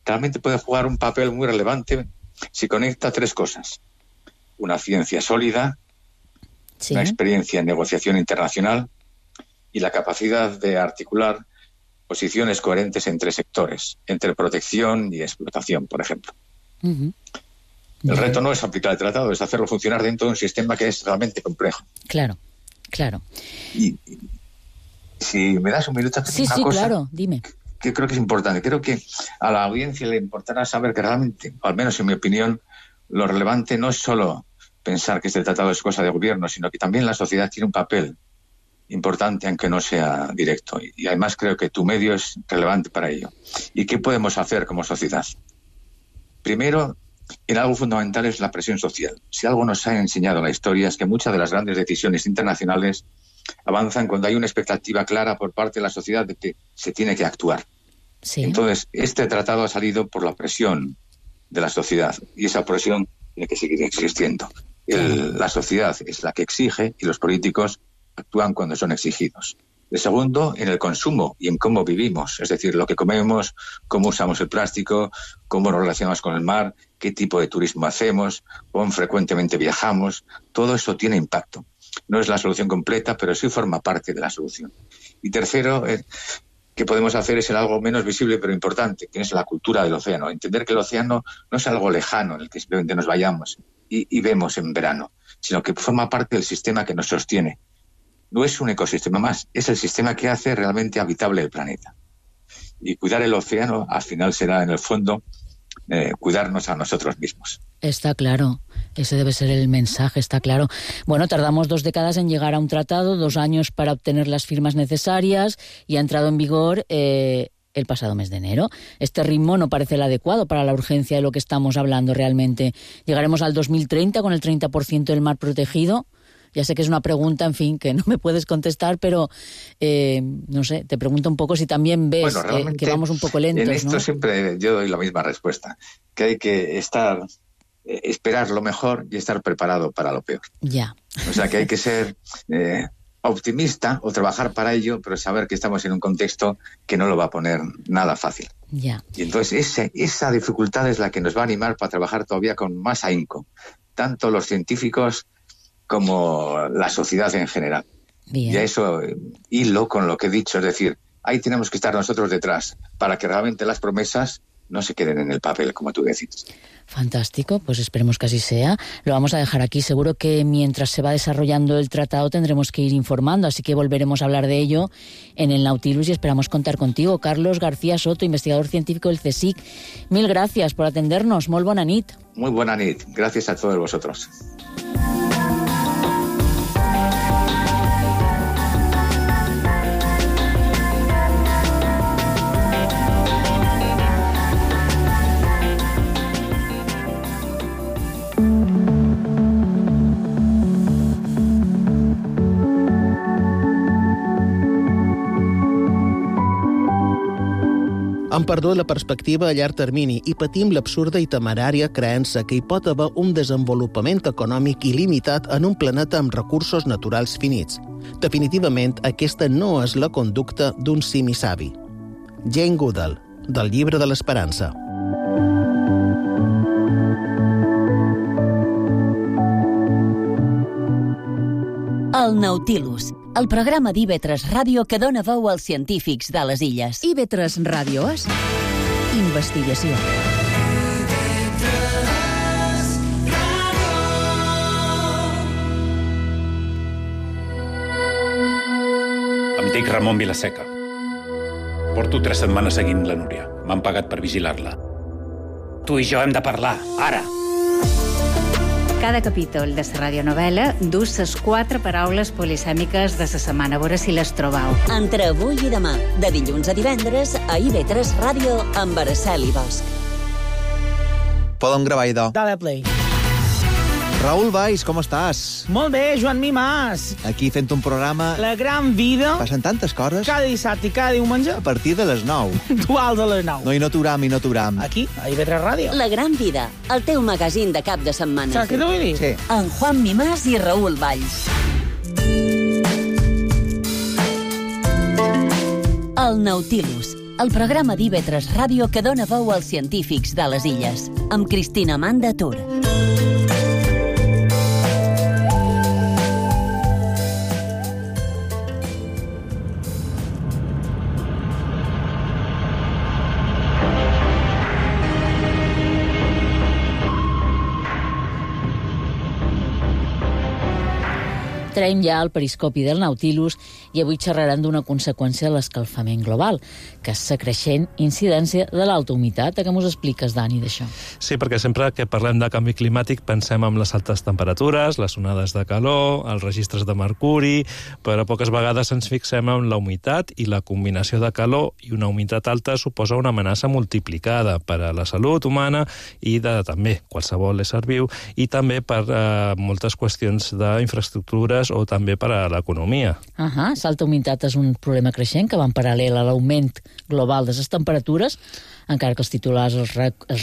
realmente puede jugar un papel muy relevante si conecta 3 cosas: una ciencia sólida, una experiencia en negociación internacional y la capacidad de articular posiciones coherentes entre sectores, entre protección y explotación, por ejemplo. El reto no es aplicar el tratado, es hacerlo funcionar dentro de un sistema que es realmente complejo. Claro, claro. Y si me das un minuto, una cosa, claro, dime. Que creo que es importante. Creo que a la audiencia le importará saber que realmente, al menos en mi opinión, lo relevante no es solo pensar que este tratado es cosa de gobierno, sino que también la sociedad tiene un papel importante, aunque no sea directo. Y además creo que tu medio es relevante para ello. ¿Y qué podemos hacer como sociedad? Primero, en algo fundamental es la presión social. Si algo nos ha enseñado la historia es que muchas de las grandes decisiones internacionales avanzan cuando hay una expectativa clara por parte de la sociedad de que se tiene que actuar. Sí. Entonces, este tratado ha salido por la presión de la sociedad y esa presión tiene que seguir existiendo. La sociedad es la que exige y los políticos actúan cuando son exigidos. El segundo, en el consumo y en cómo vivimos, es decir, lo que comemos, cómo usamos el plástico, cómo nos relacionamos con el mar, qué tipo de turismo hacemos, cuán frecuentemente viajamos. Todo eso tiene impacto. No es la solución completa, pero sí forma parte de la solución. Y tercero, que podemos hacer es algo menos visible pero importante, que es la cultura del océano. Entender que el océano no es algo lejano en el que simplemente nos vayamos y vemos en verano, sino que forma parte del sistema que nos sostiene. No es un ecosistema más, es el sistema que hace realmente habitable el planeta. Y cuidar el océano al final será, en el fondo, cuidarnos a nosotros mismos. Está claro, ese debe ser el mensaje, está claro. Bueno, tardamos 2 décadas en llegar a un tratado, 2 años para obtener las firmas necesarias y ha entrado en vigor el pasado mes de enero. Este ritmo no parece el adecuado para la urgencia de lo que estamos hablando realmente. Llegaremos al 2030 con el 30% del mar protegido. Ya sé que es una pregunta, en fin, que no me puedes contestar, pero no sé, te pregunto un poco si también ves que vamos un poco lentos, en esto, ¿no? Siempre yo doy la misma respuesta, que hay que esperar lo mejor y estar preparado para lo peor. Ya. O sea, que hay que ser optimista o trabajar para ello, pero saber que estamos en un contexto que no lo va a poner nada fácil. Ya. Y entonces esa dificultad es la que nos va a animar para trabajar todavía con más ahínco, tanto los científicos como la sociedad en general. Bien. Y a eso hilo con lo que he dicho, es decir, ahí tenemos que estar nosotros detrás para que realmente las promesas no se queden en el papel, como tú decís. Fantástico, pues esperemos que así sea. Lo vamos a dejar aquí. Seguro que mientras se va desarrollando el tratado tendremos que ir informando, así que volveremos a hablar de ello en el Nautilus y esperamos contar contigo. Carlos García Soto, investigador científico del CSIC. Mil gracias por atendernos. Molt bona nit. Muy buena nit. Gracias a todos vosotros. Hem perdut la perspectiva a llarg termini i patim l'absurda i temerària creença que hi pot haver un desenvolupament econòmic il·limitat en un planeta amb recursos naturals finits. Definitivament, aquesta no és la conducta d'un simi savi. Jane Goodall, del Llibre de l'Esperança. El Nautilus, el programa d'IV3 Ràdio que dona veu als científics de les illes. IV3 Ràdio és investigació. Em dic Ramon Vilaseca. Porto 3 setmanes seguint la Núria. M'han pagat per vigilar-la. Tu i jo hem de parlar, ara. Cada capítol de la radionovel·la dus les 4 paraules polisèmiques de la setmana. A veure si les trobau. Entre avui i demà, de dilluns a divendres, a IV3 Ràdio amb Araceli Bosch. Podem gravar, idò. Dale play. Raül Valls, com estàs? Molt bé, Joan Mimàs. Aquí fent un programa... La gran vida. Passen tantes coses. Cada dissabte i cada diumenge. A partir de les 9. Duals a les 9. No, i no t'uram. Aquí, a IV3 Ràdio. La gran vida, el teu magazín de cap de setmana. Saps què t'ho vull dir? Sí. En Juan Mimàs i Raül Valls. El Nautilus, el programa d'IV3 Ràdio que dona veu als científics de les illes. Amb Cristina Amanda Tur. Traiem ja el periscopi del Nautilus i avui xerraran d'una conseqüència de l'escalfament global, que és la creixent incidència de l'alta humitat. Què m'ho expliques, Dani, d'això? Sí, perquè sempre que parlem de canvi climàtic pensem en les altes temperatures, les onades de calor, els registres de mercuri, però poques vegades ens fixem en la humitat i la combinació de calor i una humitat alta suposa una amenaça multiplicada per a la salut humana i de també qualsevol ésser viu i també per moltes qüestions d'infraestructures o també per a l'economia. L'alta humitat és un problema creixent que va en paral·lel a l'augment global de les temperatures, encara que els titulars, els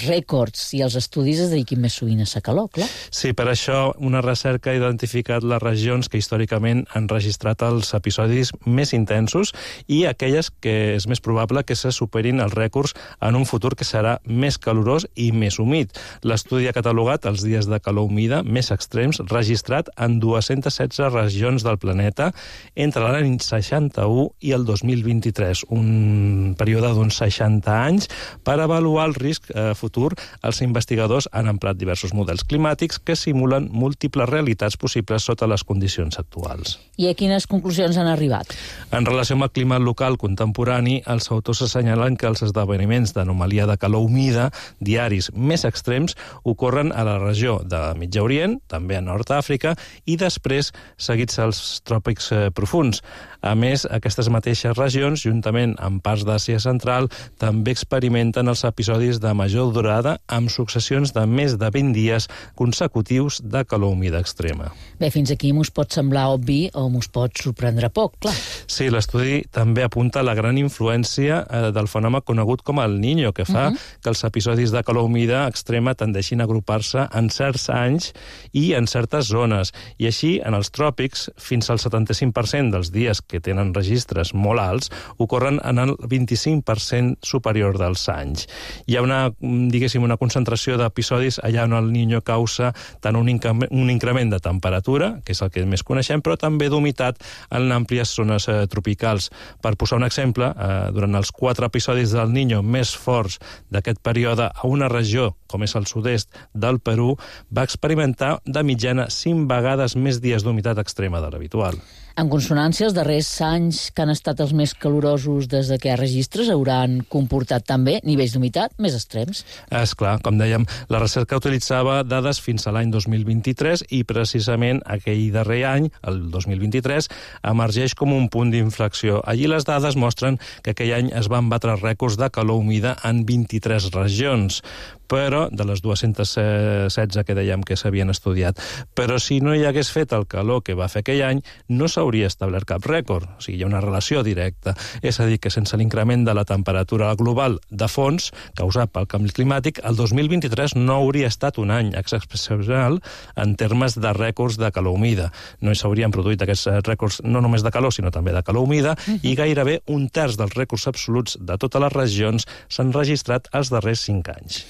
rècords i els estudis es dediquin més sovint a la calor, clar. Sí, per això una recerca ha identificat les regions que històricament han registrat els episodis més intensos i aquelles que és més probable que se superin els rècords en un futur que serà més calorós i més humit. L'estudi ha catalogat els dies de calor humida més extrems registrat en 216 regions del planeta entre l'any 61 i el 2023, un període d'uns 60 anys. Per avaluar el risc futur, els investigadors han emprat diversos models climàtics que simulen múltiples realitats possibles sota les condicions actuals. I a quines conclusions han arribat? En relació amb el clima local contemporani, els autors assenyalen que els esdeveniments d'anomalia de calor humida diaris més extrems ocorren a la regió de Mitjà Orient, també a Nord Àfrica, i després seguits als tròpics profunds. A més, aquestes mateixes regions, juntament amb parts d'Àsia Central, també experimenten augmenten els episodis de major durada amb successions de més de 20 dies consecutius de calor humida extrema. Bé, fins aquí m'us pot semblar obvi o m'us pot sorprendre poc, clar. Sí, l'estudi també apunta la gran influència del fenomen conegut com el Niño, que fa que els episodis de calor humida extrema tendeixin a agrupar-se en certs anys i en certes zones. I així, en els tròpics, fins al 75% dels dies que tenen registres molt alts ocorren en el 25% superior dels anys. Hi ha una concentració d'episodis allà on el Niño causa tant un increment de temperatura, que és el que més coneixem, però també d'humitat en àmplies zones tropicals. Per posar un exemple, durant els 4 episodis del Niño més forts d'aquest període a una regió, com és el sud-est del Perú, va experimentar de mitjana 5 vegades més dies d'humitat extrema de l'habitual. En consonància, els darrers anys que han estat els més calorosos des que hi ha registres hauran comportat també nivells d'humitat més extrems. És clar, com dèiem, la recerca utilitzava dades fins a l'any 2023 i precisament aquell darrer any, el 2023, emergeix com un punt d'inflexió. Allí les dades mostren que aquell any es van batre rècords de calor humida en 23 regions, però de les 216 que dèiem que s'havien estudiat. Però si no hi hagués fet el calor que va fer aquell any, no s'hauria establert cap rècord. O sigui, hi ha una relació directa. És a dir, que sense l'increment de la temperatura global de fons causat pel canvi climàtic, el 2023 no hauria estat un any excepcional en termes de rècords de calor humida. No s'haurien produït aquests rècords no només de calor, sinó també de calor humida, i gairebé un terç dels rècords absoluts de totes les regions s'han registrat els darrers 5 anys.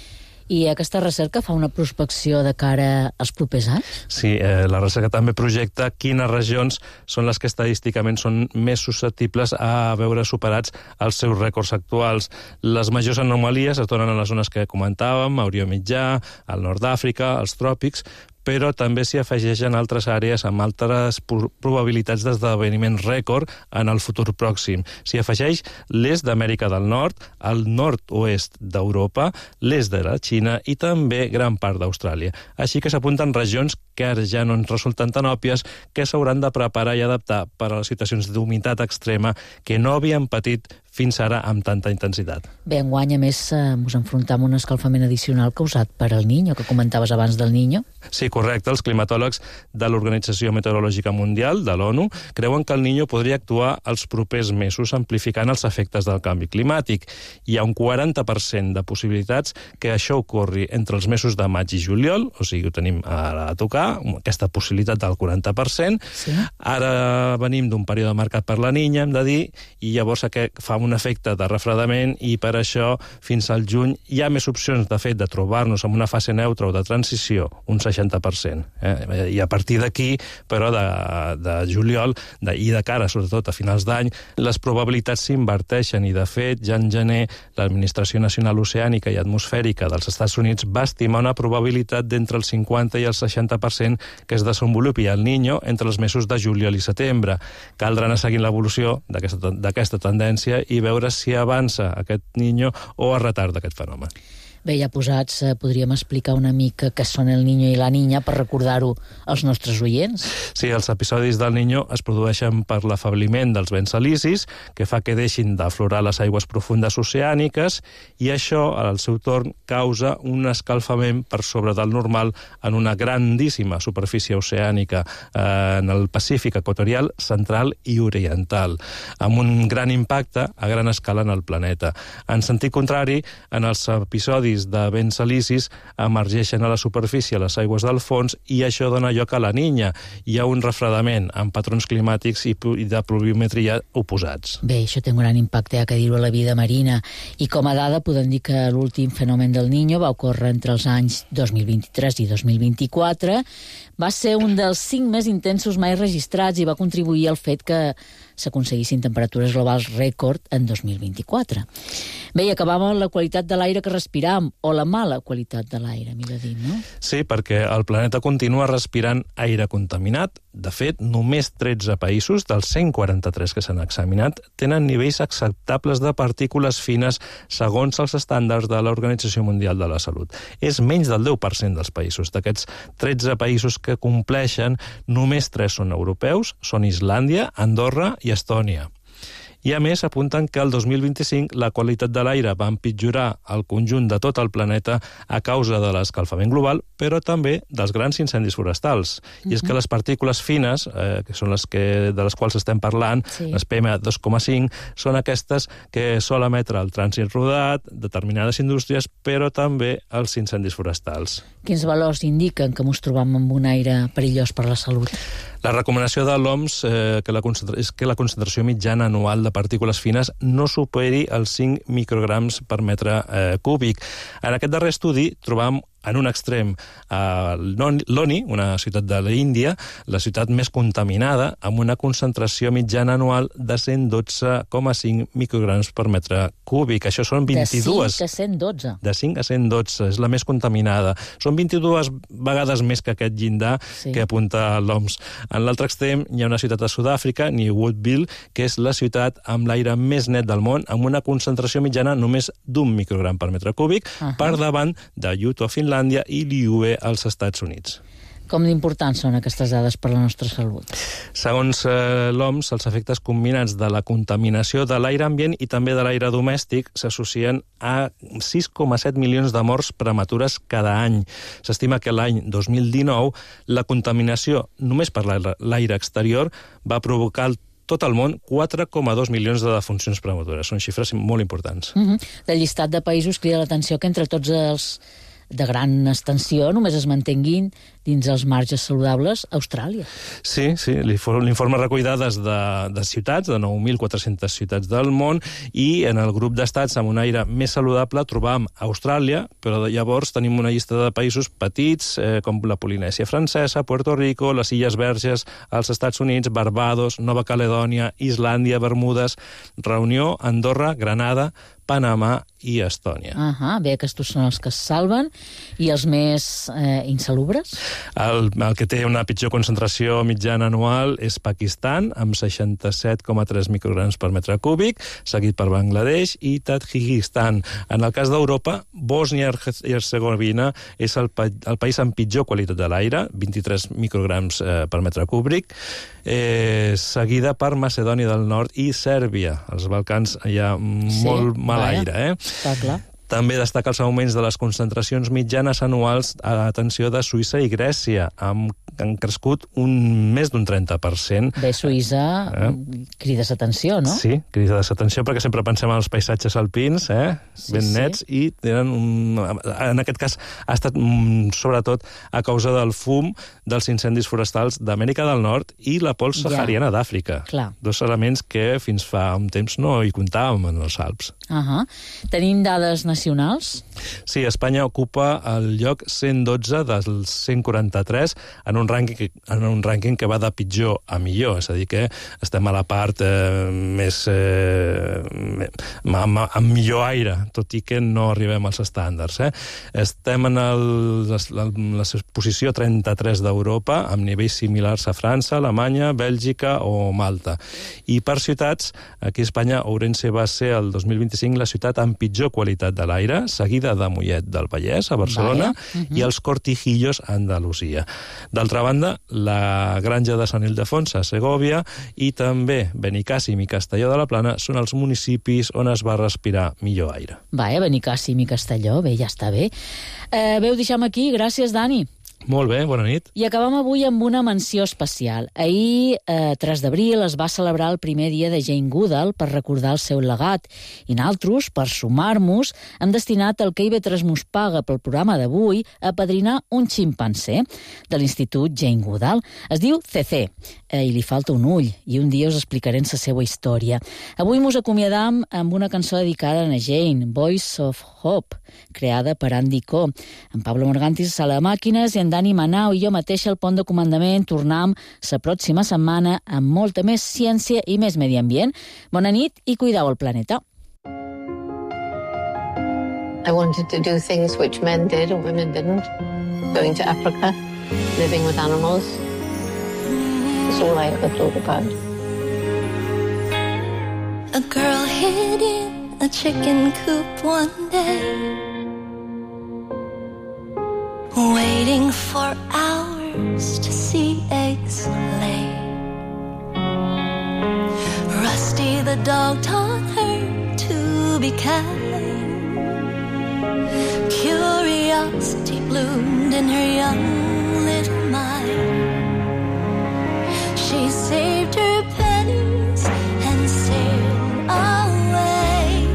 I aquesta recerca fa una prospecció de cara als propers anys? Sí, la recerca també projecta quines regions són les que estadísticament són més susceptibles a veure superats els seus rècords actuals. Les majors anomalies es donen a les zones que comentàvem, a Orient Mitjà, al nord d'Àfrica, als tròpics, però també s'hi afegeixen altres àrees amb altres probabilitats d'esdeveniment rècord en el futur pròxim. S'hi afegeix l'est d'Amèrica del Nord, el nord-oest d'Europa, l'est de la Xina i també gran part d'Austràlia. Així que s'apunten regions que ara ja no ens resulten tan òbvies, que s'hauran de preparar i adaptar per a les situacions d'humitat extrema que no havien patit fins ara amb tanta intensitat. Bé, enguany, a més, ens enfrontem a un escalfament addicional causat per el Niño, que comentaves abans del Niño. Sí, correcte. Els climatòlegs de l'Organització Meteorològica Mundial, de l'ONU, creuen que el Niño podria actuar els propers mesos amplificant els efectes del canvi climàtic. Hi ha un 40% de possibilitats que això ocorri entre els mesos de maig i juliol, o sigui, ho tenim ara a tocar, aquesta possibilitat del 40%. Sí. Ara venim d'un període marcat per la Niña, hem de dir, i llavors aquest fa un efecte de refredament i per això fins al juny hi ha més opcions, de fet, de trobar-nos en una fase neutra o de transició, un 60%. I a partir d'aquí, però de juliol i de cara, sobretot a finals d'any, les probabilitats s'inverteixen i, de fet, ja en gener l'Administració Nacional Oceànica i Atmosfèrica dels Estats Units va estimar una probabilitat d'entre el 50 i el 60% que es desenvolupi el Niño entre els mesos de juliol i setembre. Caldrà anar seguint l'evolució d'aquesta tendència i veure si avança aquest Niño o es retarda aquest fenomen. Bé, ja posats, podríem explicar una mica què són el Niño i la Niña per recordar-ho als nostres oients? Sí, els episodis del Niño es produeixen per l'afebliment dels vents alisis, que fa que deixin d'aflorar les aigües profundes oceàniques, i això, al seu torn, causa un escalfament per sobre del normal en una grandíssima superfície oceànica en el Pacífic equatorial, central i oriental, amb un gran impacte a gran escala en el planeta. En sentit contrari, en els episodis de vents alisis emergeixen a la superfície les aigües del fons i això dona lloc a la Niña. Hi ha un refredament amb patrons climàtics i de pluviometria oposats. Bé, això té un gran impacte, que dir-ho, a la vida marina. I com a dada podem dir que l'últim fenomen del Niño va ocórrer entre els anys 2023 i 2024. Va ser un dels 5 més intensos mai registrats i va contribuir al fet que s'aconseguissin temperatures globals rècord en 2024. Bé, i acabàvem amb la qualitat de l'aire que respiram, o la mala qualitat de l'aire, millor dit, no? Sí, perquè el planeta continua respirant aire contaminat. De fet, només 13 països dels 143 que s'han examinat tenen nivells acceptables de partícules fines segons els estàndards de l'Organització Mundial de la Salut. És menys del 10% dels països. D'aquests 13 països que compleixen, només 3 són europeus, són Islàndia, Andorra i Estònia. I a més apunten que el 2025 la qualitat de l'aire va empitjorar al conjunt de tot el planeta a causa de l'escalfament global, però també dels grans incendis forestals. I és que les partícules fines, que són de les quals estem parlant, les PM2,5, són aquestes que sol emetre el trànsit rodat, determinades indústries, però també els incendis forestals. Quins valors indiquen que ens trobam amb un aire perillós per la salut? La recomanació de l'OMS és que la concentració mitjana anual de partícules fines no superi els 5 micrograms per metre cúbic. En aquest darrer estudi trobam en un extrem Loni, una ciutat de l'Índia, la ciutat més contaminada, amb una concentració mitjana anual de 112,5 micrograms per metre cúbic. Això són 22... De 5 a 112. De 5 a 112, és la més contaminada. Són 22 vegades més que aquest llindar que apunta l'OMS. En l'altre extrem hi ha una ciutat de Sud-àfrica, New Woodville, que és la ciutat amb l'aire més net del món, amb una concentració mitjana només d'1 microgram per metre cúbic, per davant de Utah, Finlàndia, i Liuwe als Estats Units. Com d'importants són aquestes dades per la nostra salut? Segons l'OMS, els efectes combinats de la contaminació de l'aire ambient i també de l'aire domèstic s'associen a 6,7 milions de morts prematures cada any. S'estima que l'any 2019 la contaminació només per l'aire exterior va provocar tot el món 4,2 milions de defuncions prematures. Són xifres molt importants. Del llistat de països crida l'atenció que entre tots els de gran extensió només es mantenguin dins els marges saludables Austràlia. Sí, l'informe recull dades de ciutats, de 9.400 ciutats del món, i en el grup d'estats amb un aire més saludable trobam Austràlia, però llavors tenim una llista de països petits, com la Polinèsia Francesa, Puerto Rico, les Illes Verges, els Estats Units, Barbados, Nova Caledònia, Islàndia, Bermudes, Reunió, Andorra, Granada, Panamà i Estònia. Bé, aquests són els que es salven. I els més insalubres? El que té una pitjor concentració mitjana anual és Pakistan, amb 67,3 micrograms per metre cúbic, seguit per Bangladesh i Tadjikistan. En el cas d'Europa, Bòsnia i Hercegovina és el país amb pitjor qualitat de l'aire, 23 micrograms per metre cúbic, seguida per Macedònia del Nord i Sèrbia. Als Balcans hi ha molt mal aire. Està clar. També destaca els augments de les concentracions mitjanes anuals atenció de Suïssa i Grècia, han crescut més d'un 30%. Bé, Suïssa, crides atenció, no? Sí, crides atenció perquè sempre pensem en els paisatges alpins, ben nets, i en aquest cas ha estat sobretot a causa del fum dels incendis forestals d'Amèrica del Nord i la pols sahariana d'Àfrica. Dos elements que fins fa un temps no hi comptàvem en els Alps. Tenim dades nacionals? Sí, Espanya ocupa el lloc 112 dels 143 en un rànquing que va de pitjor a millor, és a dir, que estem a la part amb millor aire, tot i que no arribem als estàndards. Estem en la posició 33 d'Europa, amb nivells similars a França, Alemanya, Bèlgica o Malta. I per ciutats, aquí a Espanya, Ourense va ser el 2025 la ciutat amb pitjor qualitat de l'aire, seguida de Mollet del Vallès, a Barcelona, i els Cortijillos, a Andalusia. D'altra banda, la Granja de Sant Ildefons, a Segòvia, i també Benicàssim i Castelló de la Plana són els municipis on es va respirar millor aire. Benicàssim i Castelló, bé, ja està bé. Bé, ho deixem aquí. Gràcies, Dani. Molt bé, bona nit. I acabem avui amb una menció especial. Ahir, 3 d'abril, es va celebrar el primer dia de Jane Goodall per recordar el seu legat. I nosaltres, per sumar-nos, hem destinat el que IB3 mos paga pel programa d'avui a padrinar un ximpanzé de l'Institut Jane Goodall. Es diu CC, i li falta un ull, i un dia us explicarem la seva història. Avui mos acomiadam amb una cançó dedicada a Jane, Voice of Hope, creada per Andy Co. En Pablo Morgantis a sala de màquines i en Dani Manau i jo mateixa al pont de comandament. Tornem la pròxima setmana amb molta més ciència i més medi ambient. Bona nit i cuideu el planeta. I wanted to do things which men did and women didn't. Going to Africa, living with animals. That's all I ever thought about. A girl hid in a chicken coop one day, waiting for hours to see eggs lay. Rusty the dog taught her to be kind. Curiosity bloomed in her young little mind. She saved her pennies and sailed away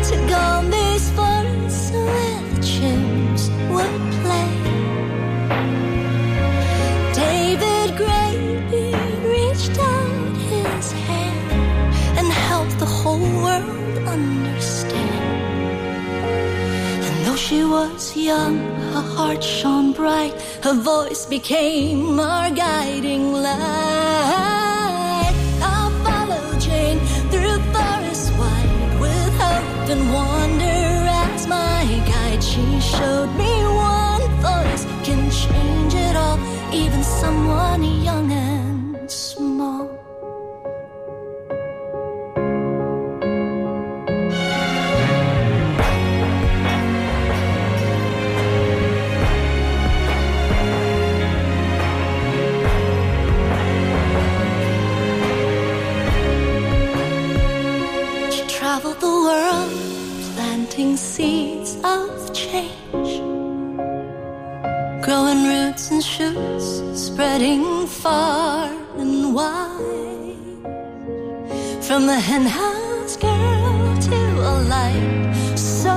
to Gombe's forest where the chimps would play. David Greybeard reached out his hand and helped the whole world understand. And though she was young, her heart shone bright, her voice became our guiding light. I'll follow Jane through forests wide with hope and wonder as my guide. She showed me one voice can change it all, even someone young and small. Traveled the world, planting seeds of change, growing roots and shoots, spreading far and wide. From a hen house girl to a light so